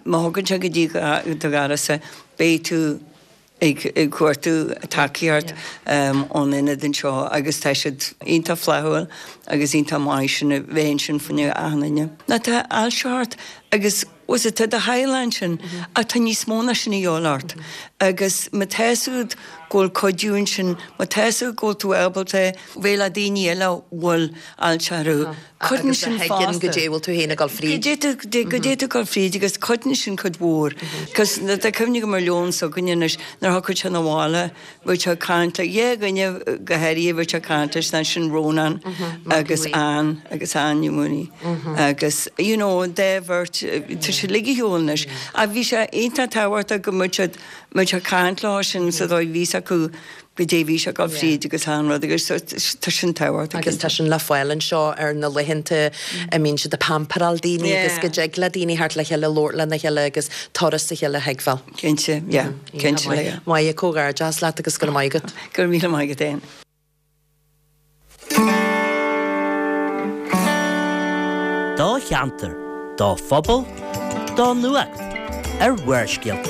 má thugann sé go dtí do dhoras é, beidh tú. Ag cuartú tacaíocht ón ionad anseo agus tá siad iontach flaithiúil agus iontach maith sin a bheith ansin fá choinne achan duine. Ná tá ailse ort agus bhfuil fhios agat tá do theaghlach ansin ach tá níos mó ná sin a dhíobháil ort agus má tá fhios agat go bhfuil cuidiú ansin, má tá fhios agat go bhfuil tú ábalta bheith le daoine eile a bhfuil ailse orthu. Cuireann sin fosta. Agus a thuigeann goidé a bhfuil tú féin ag dul fríd. Goidé tú ag dul fríd agus cuireann sin cuid mhór. Cos tá cuimhne agam ar Leon s'againne anois nuair a thiocfadh sé 'na bhaile bheadh sé ag caint le dhá dhuine go háirithe bheadh sé ag caint leis ná sin Rónán agus Ann agus Ann Ní Mhaonaigh agus you know an dá bheirt tá siad uilig ar shiúl anois. Ach bhí sé iontach tábhachtach go mbeadh siad mbeadh sé ag caint leo sin sa dóigh bhí fhios acu goidé bhí sé ag dul fríd agus achan rud agus tá sin tábhachtach. Agus tá sin le fáil anseo ar na laethanta a mbíonn siad ag pamperáil daoine agus go dtig le daoine theacht le chéile, labhairt lena chéile agus turas a chéile a thuigbheáil. Cinnte, yeah, cinnte, yeah. Maith, comhghairdeas leat agus go raibh maith agat. Go raibh míle maith agat fhéin. Do cheantar, do phobal, do nuacht ar Bharrscéalta.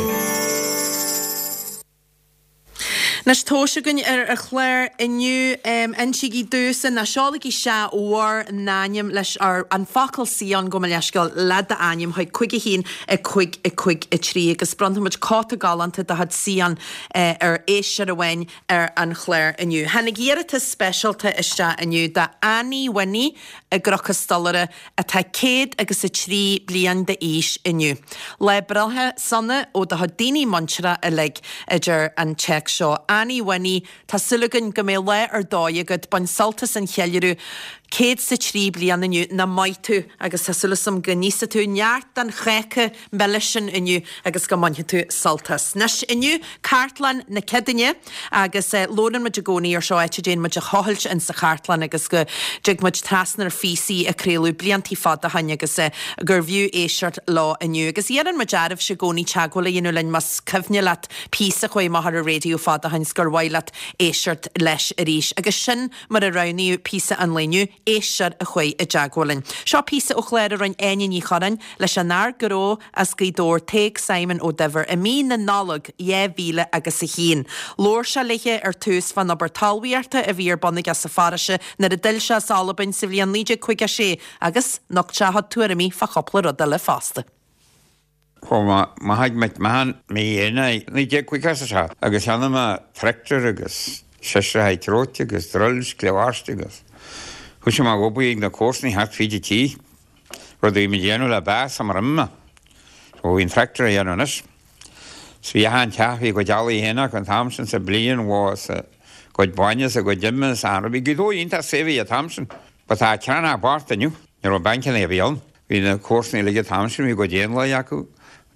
Anois tomhais againn ar an chlár inniu. Insígí domhsa, nó seolaigí isteach bhur n-ainm leis, an focal Sion, gabh mo leithscéal, le d'ainm chuig 5 1 5 5 3 agus bronnfaidh muid cóta galánta de chuid Sion ar éisteoir amháin ar an chlár inniu. Tháinig iarratas speisialta isteach inniu do Annie Winnie i gCnoc an Stolaire atá céad agus 3 bliain d'aois inniu. Lá breithe sona ó do chuid daoine muinteartha uilig, a deir an téacs seo. Annie Winnie, tá súil againn go mbeidh lá ar dóigh agat, bain sult as an cheiliúradh 103 bliain inniu, nach maith tú, agus tá súil agam go n-íosfaidh tú neart den cháca milis sin inniu agus go mbainfidh tú sult as. Anois, inniu, Cartlann na Ceadaoine agus labhrann muid i gcónaí ar seo áit a dtéann muid a thochailt in sa chartlann agus go dtig muid trasna ar phíosaí a craoladh bliantaí fada ó shoin agus gurbh fhiú éisteacht leo inniu. Agus iarrann muid oraibhse i gcónaí teagmháil a dhéanamh linn más cuimhne leat píosa a chuaigh amach ar an raidió fada ó shoin 's gur mhaith leat éisteacht leis arís. Agus sin mar a roghnaíodh píosa an lae inniu, éisteoir a chuaigh i dteagmháil linn. Seo píosa ó chlár a rinne Áine Ní Churráin leis an fhear gnó as Gaoth Dobhair Tadhg Simon Ó Duibhir i mí na Nollag 2000 agus 1. Labhair sé léithe ar tús fán obair talmhaíochta a bhí ar bun aige sa pharóiste nuair a d'fhill sé as Albain sa bhliain 1956 agus nocht sé a chuid tuairimí fá chúpla rud eile fosta. Chuaigh mé amach ag McMahon mí Eanáir 1957 agus cheannaigh mé tractor agus seisreacha treoite agus drills, cliabharst agus thoisigh mé ag obair ag na comharsanaí thart fríd an tí, rud a bhí mé a dhéanamh le bás sumar imigh mé. So bhí an tractor a dhéanamh anois. So bhí achan teach, bhí a gcuid eallaigh féin acu an t-am sin sa bliain, bhó is a gcuid bainne is a gcuid ime is achan rud. Bhí Gaoth Dobhair iontach saibhir an t-am sin. But tá crann bocht inniu. Ní raibh bancanna ar bith ann. Bhí na comharsanaí uilig an t-am sin, bhí a gcuid éanlaith acu,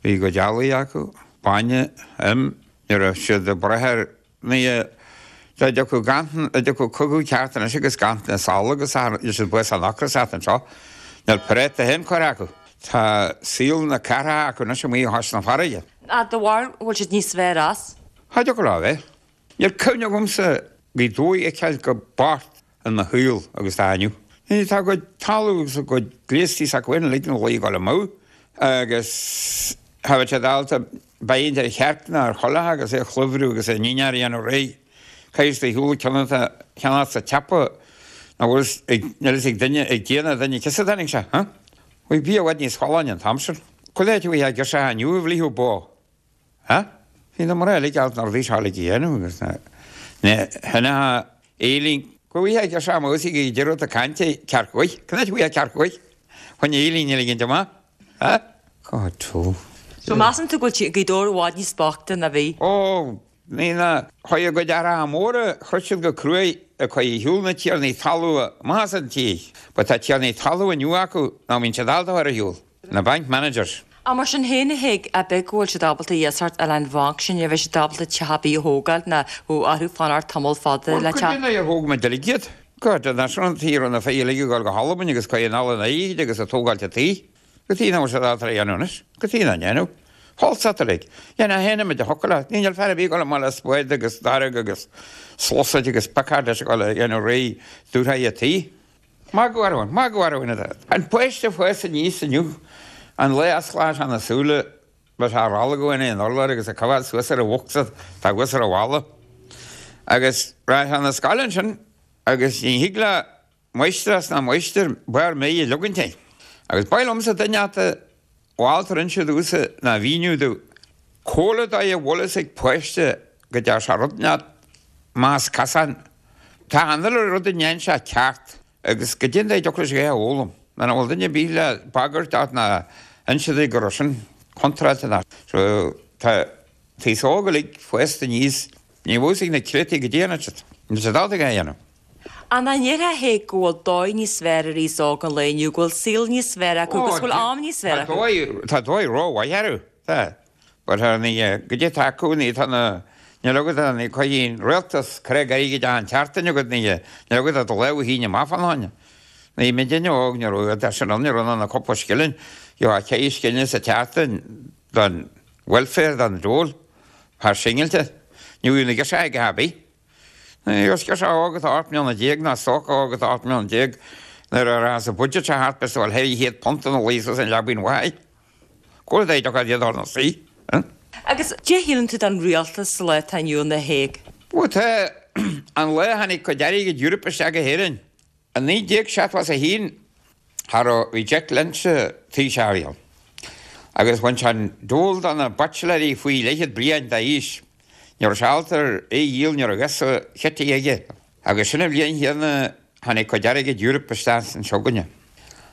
bhí a gcuid eallaigh acu, bainne, im, ní raibh siad ag brath ar ní dá dtiocfadh ganntan, dá dtiocfadh cogadh ceart anois agus ganntan sála agus níl siad buíoch as an ocras ata anseo. Níl práta féin curtha acu. Tá saol na cathrach acu anois amuigh chois na farraige. Ach do bharúil an bhfuil siad níos fearr as? Cha dtiocfadh leo a bheith. Níl cuimhne agamsa Gaoth Dobhair a fheiceáil chomh bocht in mo shaol agus atá inniu. Tá a gcuid talamh agus a gcuid gléastaí s'acu féin uilig ina luí ag dul amú agus cha bheadh siad ábalta beidh ar chearc ná ar choileach agus é a chluimhriú agus a ndinnéar a dhéanamh réidh. Caithfidh tú shiúl ceann ceannacht sa tsiopa nach bhfuil fhios ag níl fhios ag duine ag Dia ná duine ciosa tháinig sé, huh? Bhí bia i bhfad níos folláine an t-am sin. Chuile áit a bhí girseacha inniu a bhlífeadh bó. Ha? Bhí na mná uilig ábalta na rudaí seo uilig a dhéanamh agus na hinneacha Éilín. Go bhfaighidh a girseach amach ag deireadh do cainte cearc ghaoth. Can áit a bhfaighidh cearc ghaoth? Chun Éilín a ligint amach. Ha? God tó. So measann tú go bhfuil Gaoth Dobhair i bhfad níos boichte ná bhí? Ó, ní na. Chuaigh a gcuid aithreacha móra, chroith siad go cruaidh ag cur ar shiúl na tiarnaí talún amach as an tír. But tá tiarnaí talún inniu acu nach mbíonn siad ábalta a chur ar shiúl. Na bank managers. Ach mar sin féin a Thaidhg, ab ea go bhfuil siad ábalta iasacht a fháil ón bhanc sin, ní bheidh siad ábalta teach ar bith a thógáil ná orthu fanacht tamall fada Bhuel, le cuid teach. de na ar thóg muid uilig iad. God, an sin an tí a raibh na fir uilig ag dul go hAlbain agus cuir anall an airgid agus ag tógáilt an tí. Cad chuige nach bhfuil siad ábalta a dhéanamh anois. Cad chuige nach ndéanadh. Falsat uilig. Dhéanadh féin muid a thiocfadh leat. Níl fear ar bith ag dul amach le spade agus dorg agus sluasaid agus picard leis ag dul a dhéanamh réidh dúshraith an tí. Magadh orainn, magadh orainn atá. An páiste a fás aníos inniu, an lá a osclóidh sé na súile. Bheadh sé ag rollagadh in aon urlár agus ag coimheád suas ar an bhocsa atá thuas ar an bhalla. Agus raghadh sé 'na scoile ansin agus ní thig le máistreás ná máistir barr méith a leogaint air. Agus b'áil liomsa duine ata mhol tar inse domhsa ná mhíniú domh comhairle dóigh a bhfuil fhios ag páiste go dtear sé rud inteacht más casán. Tá an uile rud a ndéan sé ceart. Agus goidé an dóigh a dtiocfadh leis é a fhoghlaim, nuair nach bhfuil duine ar bith le bagairt ort ná inse duit go raibh sin contráilte ná. So, tá an t-aos óg uilig fásta aníos, ní bheadh fhios ag na créatúir goidé a dhéanann siad. Níl siad ábalta é a dhéanamh. Ach nach ndéarfá a Thaidhg go bhfuil dóigh níos fearr ar aos óg an lae inniu, go bhfuil saol níos fearr acu agus go bhfuil am níos fearr acu? Tá dóigh rómhaith orthu. Tá. But ar ndóigh, goidé atá acu, ní tá na, níl agat ach ní cuirfidh an rialtas creag airgid achan tseachtain agat, ní, níl agat ach do lámh a shíneadh amach fán fháinne. Ní bhí duine óg, ní raibh, tá sin ann, ní raibh ná cúpla scilling, gheofá ceithre scilling sa tseachtain don welfare, don dole, fear singilte, ní bhíodh na girseacha ag a bith. Ní raibh girseach óg atá 18 mbliana ná stócach óg atá 18 mbliana nuair a rachas an budget seo thart b'fhéidir go bhfuil £400 ina luí suas an leabaidh mhaith. Cúl dé do chuid iad ár saoi. Agus cad é shíleann tú den rialtas sa lá atá inniu ann a Thaidhg? Bhuel tá an lá a tháinig cuid airgid Europe isteach go hÉirinn i 1971 cha raibh, bhí Jack Lynch Taoiseach a bhí ann agus bhain sé an dole de na baitsiléirí faoi leathchéad bliain d'aois. Ní raibh sé ábalta é a dhíol, ní raibh a fhios a chití aige. Agus sin an bhliain chéanna tháinig cuid airgid Europe isteach anseo againne.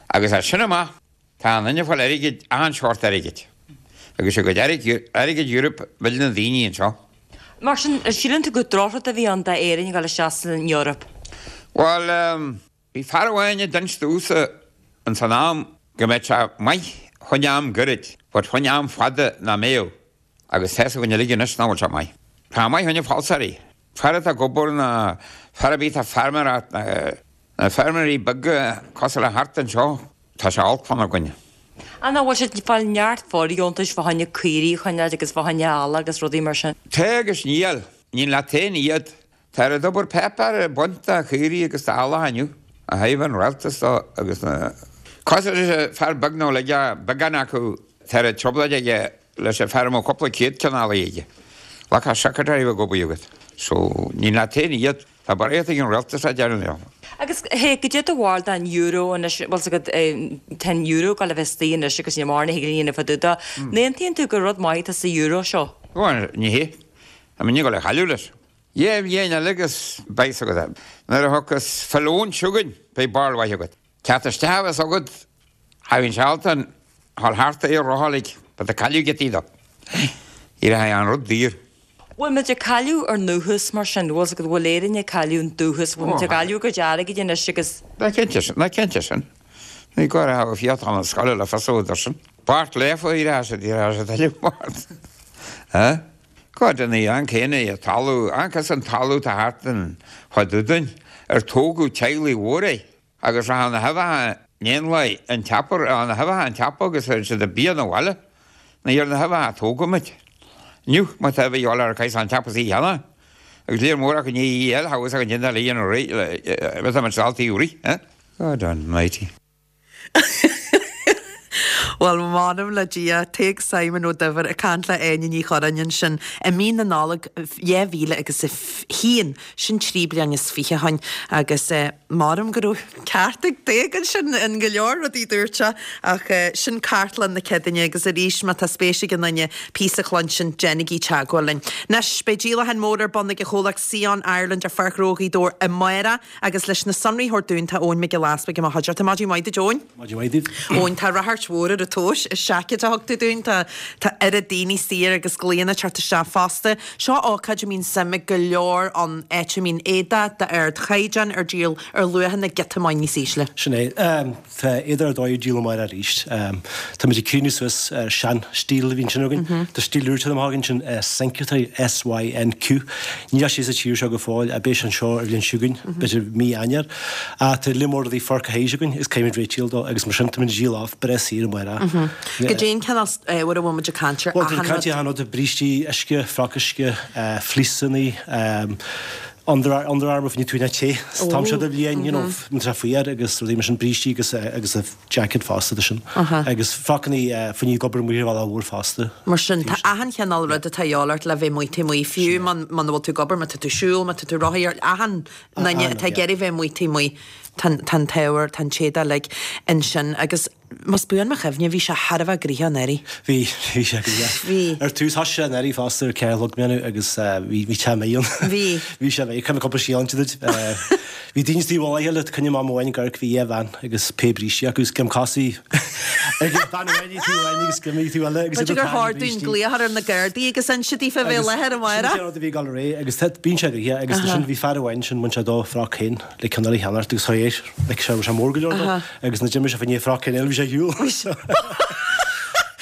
Agus as sin amach Tá an duine ag fáil airgid, achan seort airgid. Agus a gcuid airgid Europe mhill na daoine anseo. Mar sin, síleann tú gur drochrud a bhí ann d'Éirinn a dhul isteach san Eoraip? Bhuel, bhí fear amháin a d'inis domhsa ins an am go mbeadh sé maith chun am gairid, but chun am fada nach mbeadh. Agus tá's againn uilig anois nach bhfuil sé maith. Tá maith chun na falsairí. Fear atá ag obair ná fear ar bith atá ag feirmeoireacht, na feirmeoirí beaga cosúil le thart anseo, tá sé olc fána gcoinne. Ach nach bhfuil siad ag fáil neart fóirdheontais fá choinne caoirigh a choinneáil agus fá choinne eallaigh agus rudaí mar sin? Tá agus níl. Ní leat féin iad. Tá ar an obair páipéar ag baint de chaoirigh agus d'eallach inniu, ó thaobh an rialtais dó agus na. Cosúil leis an fear beag nó le beagán acu, tá an trioblóid aige leis an fear a mbeadh cúpla céad ceann eallaigh aige. Like secretary a bheith ag obair agat. So, ní leat féin iad. Tá barraíocht ag an rialtas a deireann leo. Agus hey, goidé do bharúil den euro anois, bhfuil 's agat, tá an euro ag dul a bheith istigh anois agus níl mórán a thig linn a dhéanamh fá dtaobh dó. An aontaíonn tú gur rud maith atá sa euro seo? Bhuel, ní hé. Tá muid ag dul a chailleadh leis. Dhá bhliain eile agus beidh 's agat. Nuair a thiocfas filleadh chugainn, beidh barúil mhaith agat. Teacht isteach a bheas agat, cha bhíonn sé ábalta a dhul thart é a rotháil, but tá cailleadh giotaí dó. Ní rachaidh an rud daor. Bhfuil muid ag cailleadh ár ndúchas mar sin? Bhfuil 's agat, bhfuil Éirinn ag cailleadh an dúchas? Bhfuil muid ag cailleadh ár gcuid airgid anois agus. Ná cinnte sin, ná cinnte sin. Ní gá a bheith fiachán na scoile le fios údar sin. Bart lefa, ní raibh siad, ní raibh siad uilig bart. Go deimhin, an céanna é an talamh, agus an talamh atá thart an fá dtaobh dúinn, ar tógadh teaghlaigh mhóra air, agus rachadh na huibheacha in éanlaith an tseapa, rachadh na huibheacha an tseapa agus chuireadh siad an bia 'na bhaile, ní ar na huibheacha a tógadh muid. Inniu, má tá uibhe a dhíobháil ar caithfidh an tseapa is í a cheannach, agus léir mór acu i ndiaidh í a fháil, thogha an déanta le dhéanamh réidh, le, bheadh muid dálta í rith, eh? God almighty. Bhuel, m'anam le Dia, Tadhg Simon Ó Duibhir ag caint le Áine Ní Churráin ansin i mí na Nollag 2000 agus a haon, sin 23 bliain ó shin, agus m'anam go raibh ceart ag Tadhg ansin in go leor rudaí a dúirt sé, ach sin cartlann na Céadaoine agus arís má tá spéis ag aon duine píosa a chluinstin, déanaigí teagmháil linn. Anois, beidh díolachán mór ar bun ag an chomhlacht Sion Ireland ar Pháirc Ghnó Ghaoth Dobhair amárach, Agus leis na sonraí a thabhairt dúinn tá Eoin Mac Giolla Easpaig i mo chuideachta. Maidin mhaith duit Eoin. Maidin mhaith duit. Eoin, tá ráchairt mhór ar an tomhas is seaicéid a thug tú dúinn. Tá tá oiread daoine saor agus glaonna ag teacht isteach fosta. Seo ócáid a mbíonn suim ag go leor ann, áit a mbíonn éadach d'ardchaighdeán ar díol ar luachanna giota maith níos ísle. Sin é. Tá éadach ar dóigh ar díol amárach arís. Táimid ag críochnú suas ar sean-stíl a bhí ansin againn. Tá stíl úr tagtha amach againn sin Synq atá S-Y-N-Q. Níl sé sa tír seo go fóill ach beidh sé anseo ar bhliain seo chugainn, b'fhéidir mí Eanáir. Ach tá líon mór rudaí foircthe thíos againn agus caithfimid réitíl dó agus mar sin táimid ag díol off breá saor amárach. Goidé an cineál ábhair a bhfuil muid ag caint air? Bhuel, tá muid ag caint ar achan rud, brístí uisce, froc uisce, fleeceannaí. Under Under Armour fá choinne tú te sa t-am seo de bhliain, you know, má tá sé fuar agus rudaí mar sin, brístí agus agus a jacket fosta de sin. Agus frocannaí fá choinne ag obair amuigh ar an bhealach mhór fosta. Mar sin, tá achan chineál rud atá a dhíobháil ort le bheith amuigh taobh amuigh, fiú muna bhfuil tú ag obair, má tá tú ag siúl, má tá tú ag rothaíocht, achan duine atá ag iarraidh bheith amuigh taobh amuigh, tá an t-ábhar, tá an t-éadach uilig ansin agus. Más buan mo chuimhne, bhí sé thar a bheith gnoitheach anuraidh. Bhí, bhí sé gnoitheach. Bhí. Ar tús, thosaigh sé anuraidh fosta ar 4 a chlog mé agus bhí, bhí te maith ann. Bhí. Bhí sé maith, cuimhin cúpla scéal inse duit. Bhí daoine taobh amháin eile, coinne mam amháin ag amharc, bhí dhá bhean agus pé brístí acu, is gim cosaí ag bean amháin ag taobh amháin agus gim ag taobh eile agus iad ag B'fhéidir gur tarraingt chóir dúinn brístí. glaoch ar na Gardaí agus inse daofa a bheith i láthair amárach. Sin é an rud a bhí ag dul ar aghaidh agus bíonn sé gnoitheach agus ansin bhí fear amháin sin, bhain sé dó froc féin. le ceann eile a cheannacht agus chuir like sé raibh sé mór go leor dó agus nuair d'imigh sé fá choinne froc eile bhí sé ar shiúl.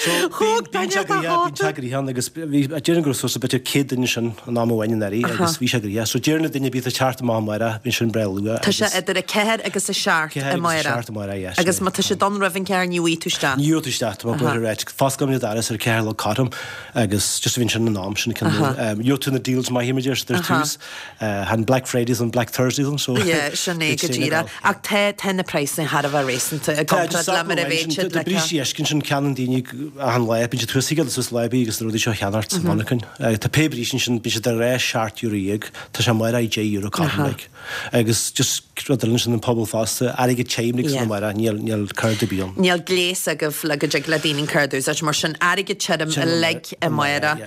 So bíonn bíonn sé gnoitheach bíonn sé gnoitheach ann agus bhí déarfainn go raibh suas le b'fhéidir 100 duine ansin an am amháin anuraidh agus bhí sé gnoitheach. So deir na daoine bíodh ag teacht amach amárach bíonn sin breá luath Tá sé idir 4 agus 7 4 agus amárach. 7 amárach yes. Agus má tá siad ann roimh an ceathair ní bhfaighidh tú isteach. Ní gheobhaidh tú isteach tá mé buartha right. Fosclaímid an doras ar 4 a chlog cothrom agus just a bhíonn sin an am sin cinn Gheobhaidh tú na deals maithe mar a deir siad ar tús. Chan Black Fridays an Black Thursdays an so. Yeah, sin é go díreach. Ach tá, tá na praghsanna thar a bheith réasúnta i Tá, gcomparáid le mar a bheadh siad Tá like. brístí uisce ansin, ceannaíonn daoine achan lá, bíonn siad thuas ag dul suas lá ar bith agus na rudaí seo a cheannacht sa mhonarchain. Tá pé bríste ansin, bíonn siad ar ais €17, tá sé amárach €10 cothrom like. Agus just rud eile ansin an pobal fosta, airgead tirim like san amárach, níl, níl cárta ar bith ann. Níl gléas agaibh le go dtig le daoine an cárta a úsáid, mar sin airgead tirim uilig amárach.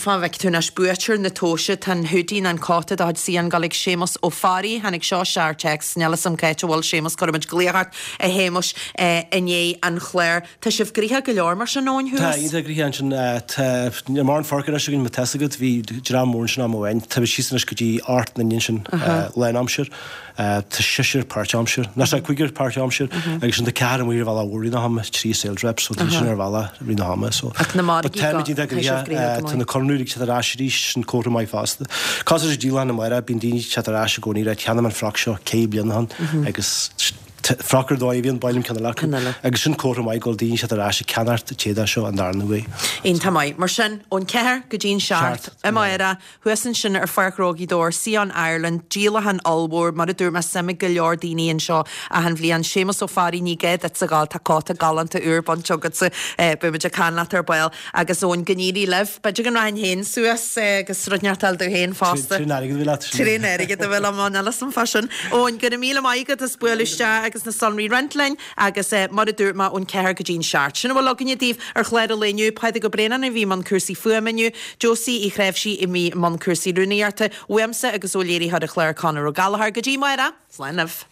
Fá bhfeic tú anois buaiteoir na tomhaise, tá an hoodie nó an cóta de chuid CN ag dul ag Séamus Ó Fearraigh. Tháinig seo isteach ar téacs, níl 'fhios a'm cá háit a bhfuil Séamus, cuirfimid glaoch ort a Shéamuis i ndiaidh an chláir. Tá sibh gnoitheach go leor mar sin Eoin thuas? Tá, iontach gnoitheach ansin. Tá, níl mórán forc anois againn má tá 'fhios agat, bhí dream mór ansin am amháin. Tá muid síos anois go dtí 8 nduine ansin lánaimsir. Tá seisear páirtaimsir, nó sorry, cúigear páirtaimsir agus sin tá ceathrar amuigh ar bhealach mhór i rith na hama, 3 sales reps, so tá sin ar bhealach i rith na hama. So, Ach na but margaí táimid go, iontach tá sibh gnoitheach, gnoitheach go tá maith. na conraitheoirí ag teacht ar ais arís, sin comhartha maith fosta. Cosúil leis an díolachán amárach, bíonn daoine ag teacht ar ais i gcónaí, right, cheannaigh mé an froc seo ceithre bliana ó shin agus froc ar dóigh a bhíonn, ba mhaith liom ceann eile acu. Ceann eile. Agus sin comhartha maith go bhfuil daoine ag teacht ar ais ag ceannacht an t-éadach seo an darna huair. Iontach maith. Mar sin, ón 4 go dtí'n 7 amárach, Thuas ansin ar Pháirc Ghnó Ghaoth Dobhair, Sion Ireland, díolachán ollmhór, mar a dúirt mé, suim ag go leor daoine anseo achan bhliain. Séamus Ó Fearraigh, ní gá duitse a ghabháil, tá cóta galánta úr bainte agatsa, beidh muid ag caint leat ar ball. Agus Eoin, go n-éirí libh. B'fhéidir go rachainn féin suas agus rud inteacht a fháil domh féin fosta. Trén airgead a bhí leat. Trén airgead a bhí liom, níl 'fhios a'm fá sin. Eoin, go raibh míle maith agat as bualadh isteach agus na sonraí a roinnt linn. Agus mar a dúirt mé, ón ceathair go dtí'n seacht. Sin a bhfuil againne daoibh ar chlár an lae inniu. Pádraig Ó Braonáin a bhí i mbun cúrsaí fuaime inniu, Josie Uí Chnáimhsí a bhí i mbun cúrsaí rúnaíochta, uaimse agus ó léiritheoir an chláir Conor Ó Gallchóir. Go dtí amárach, slán libh.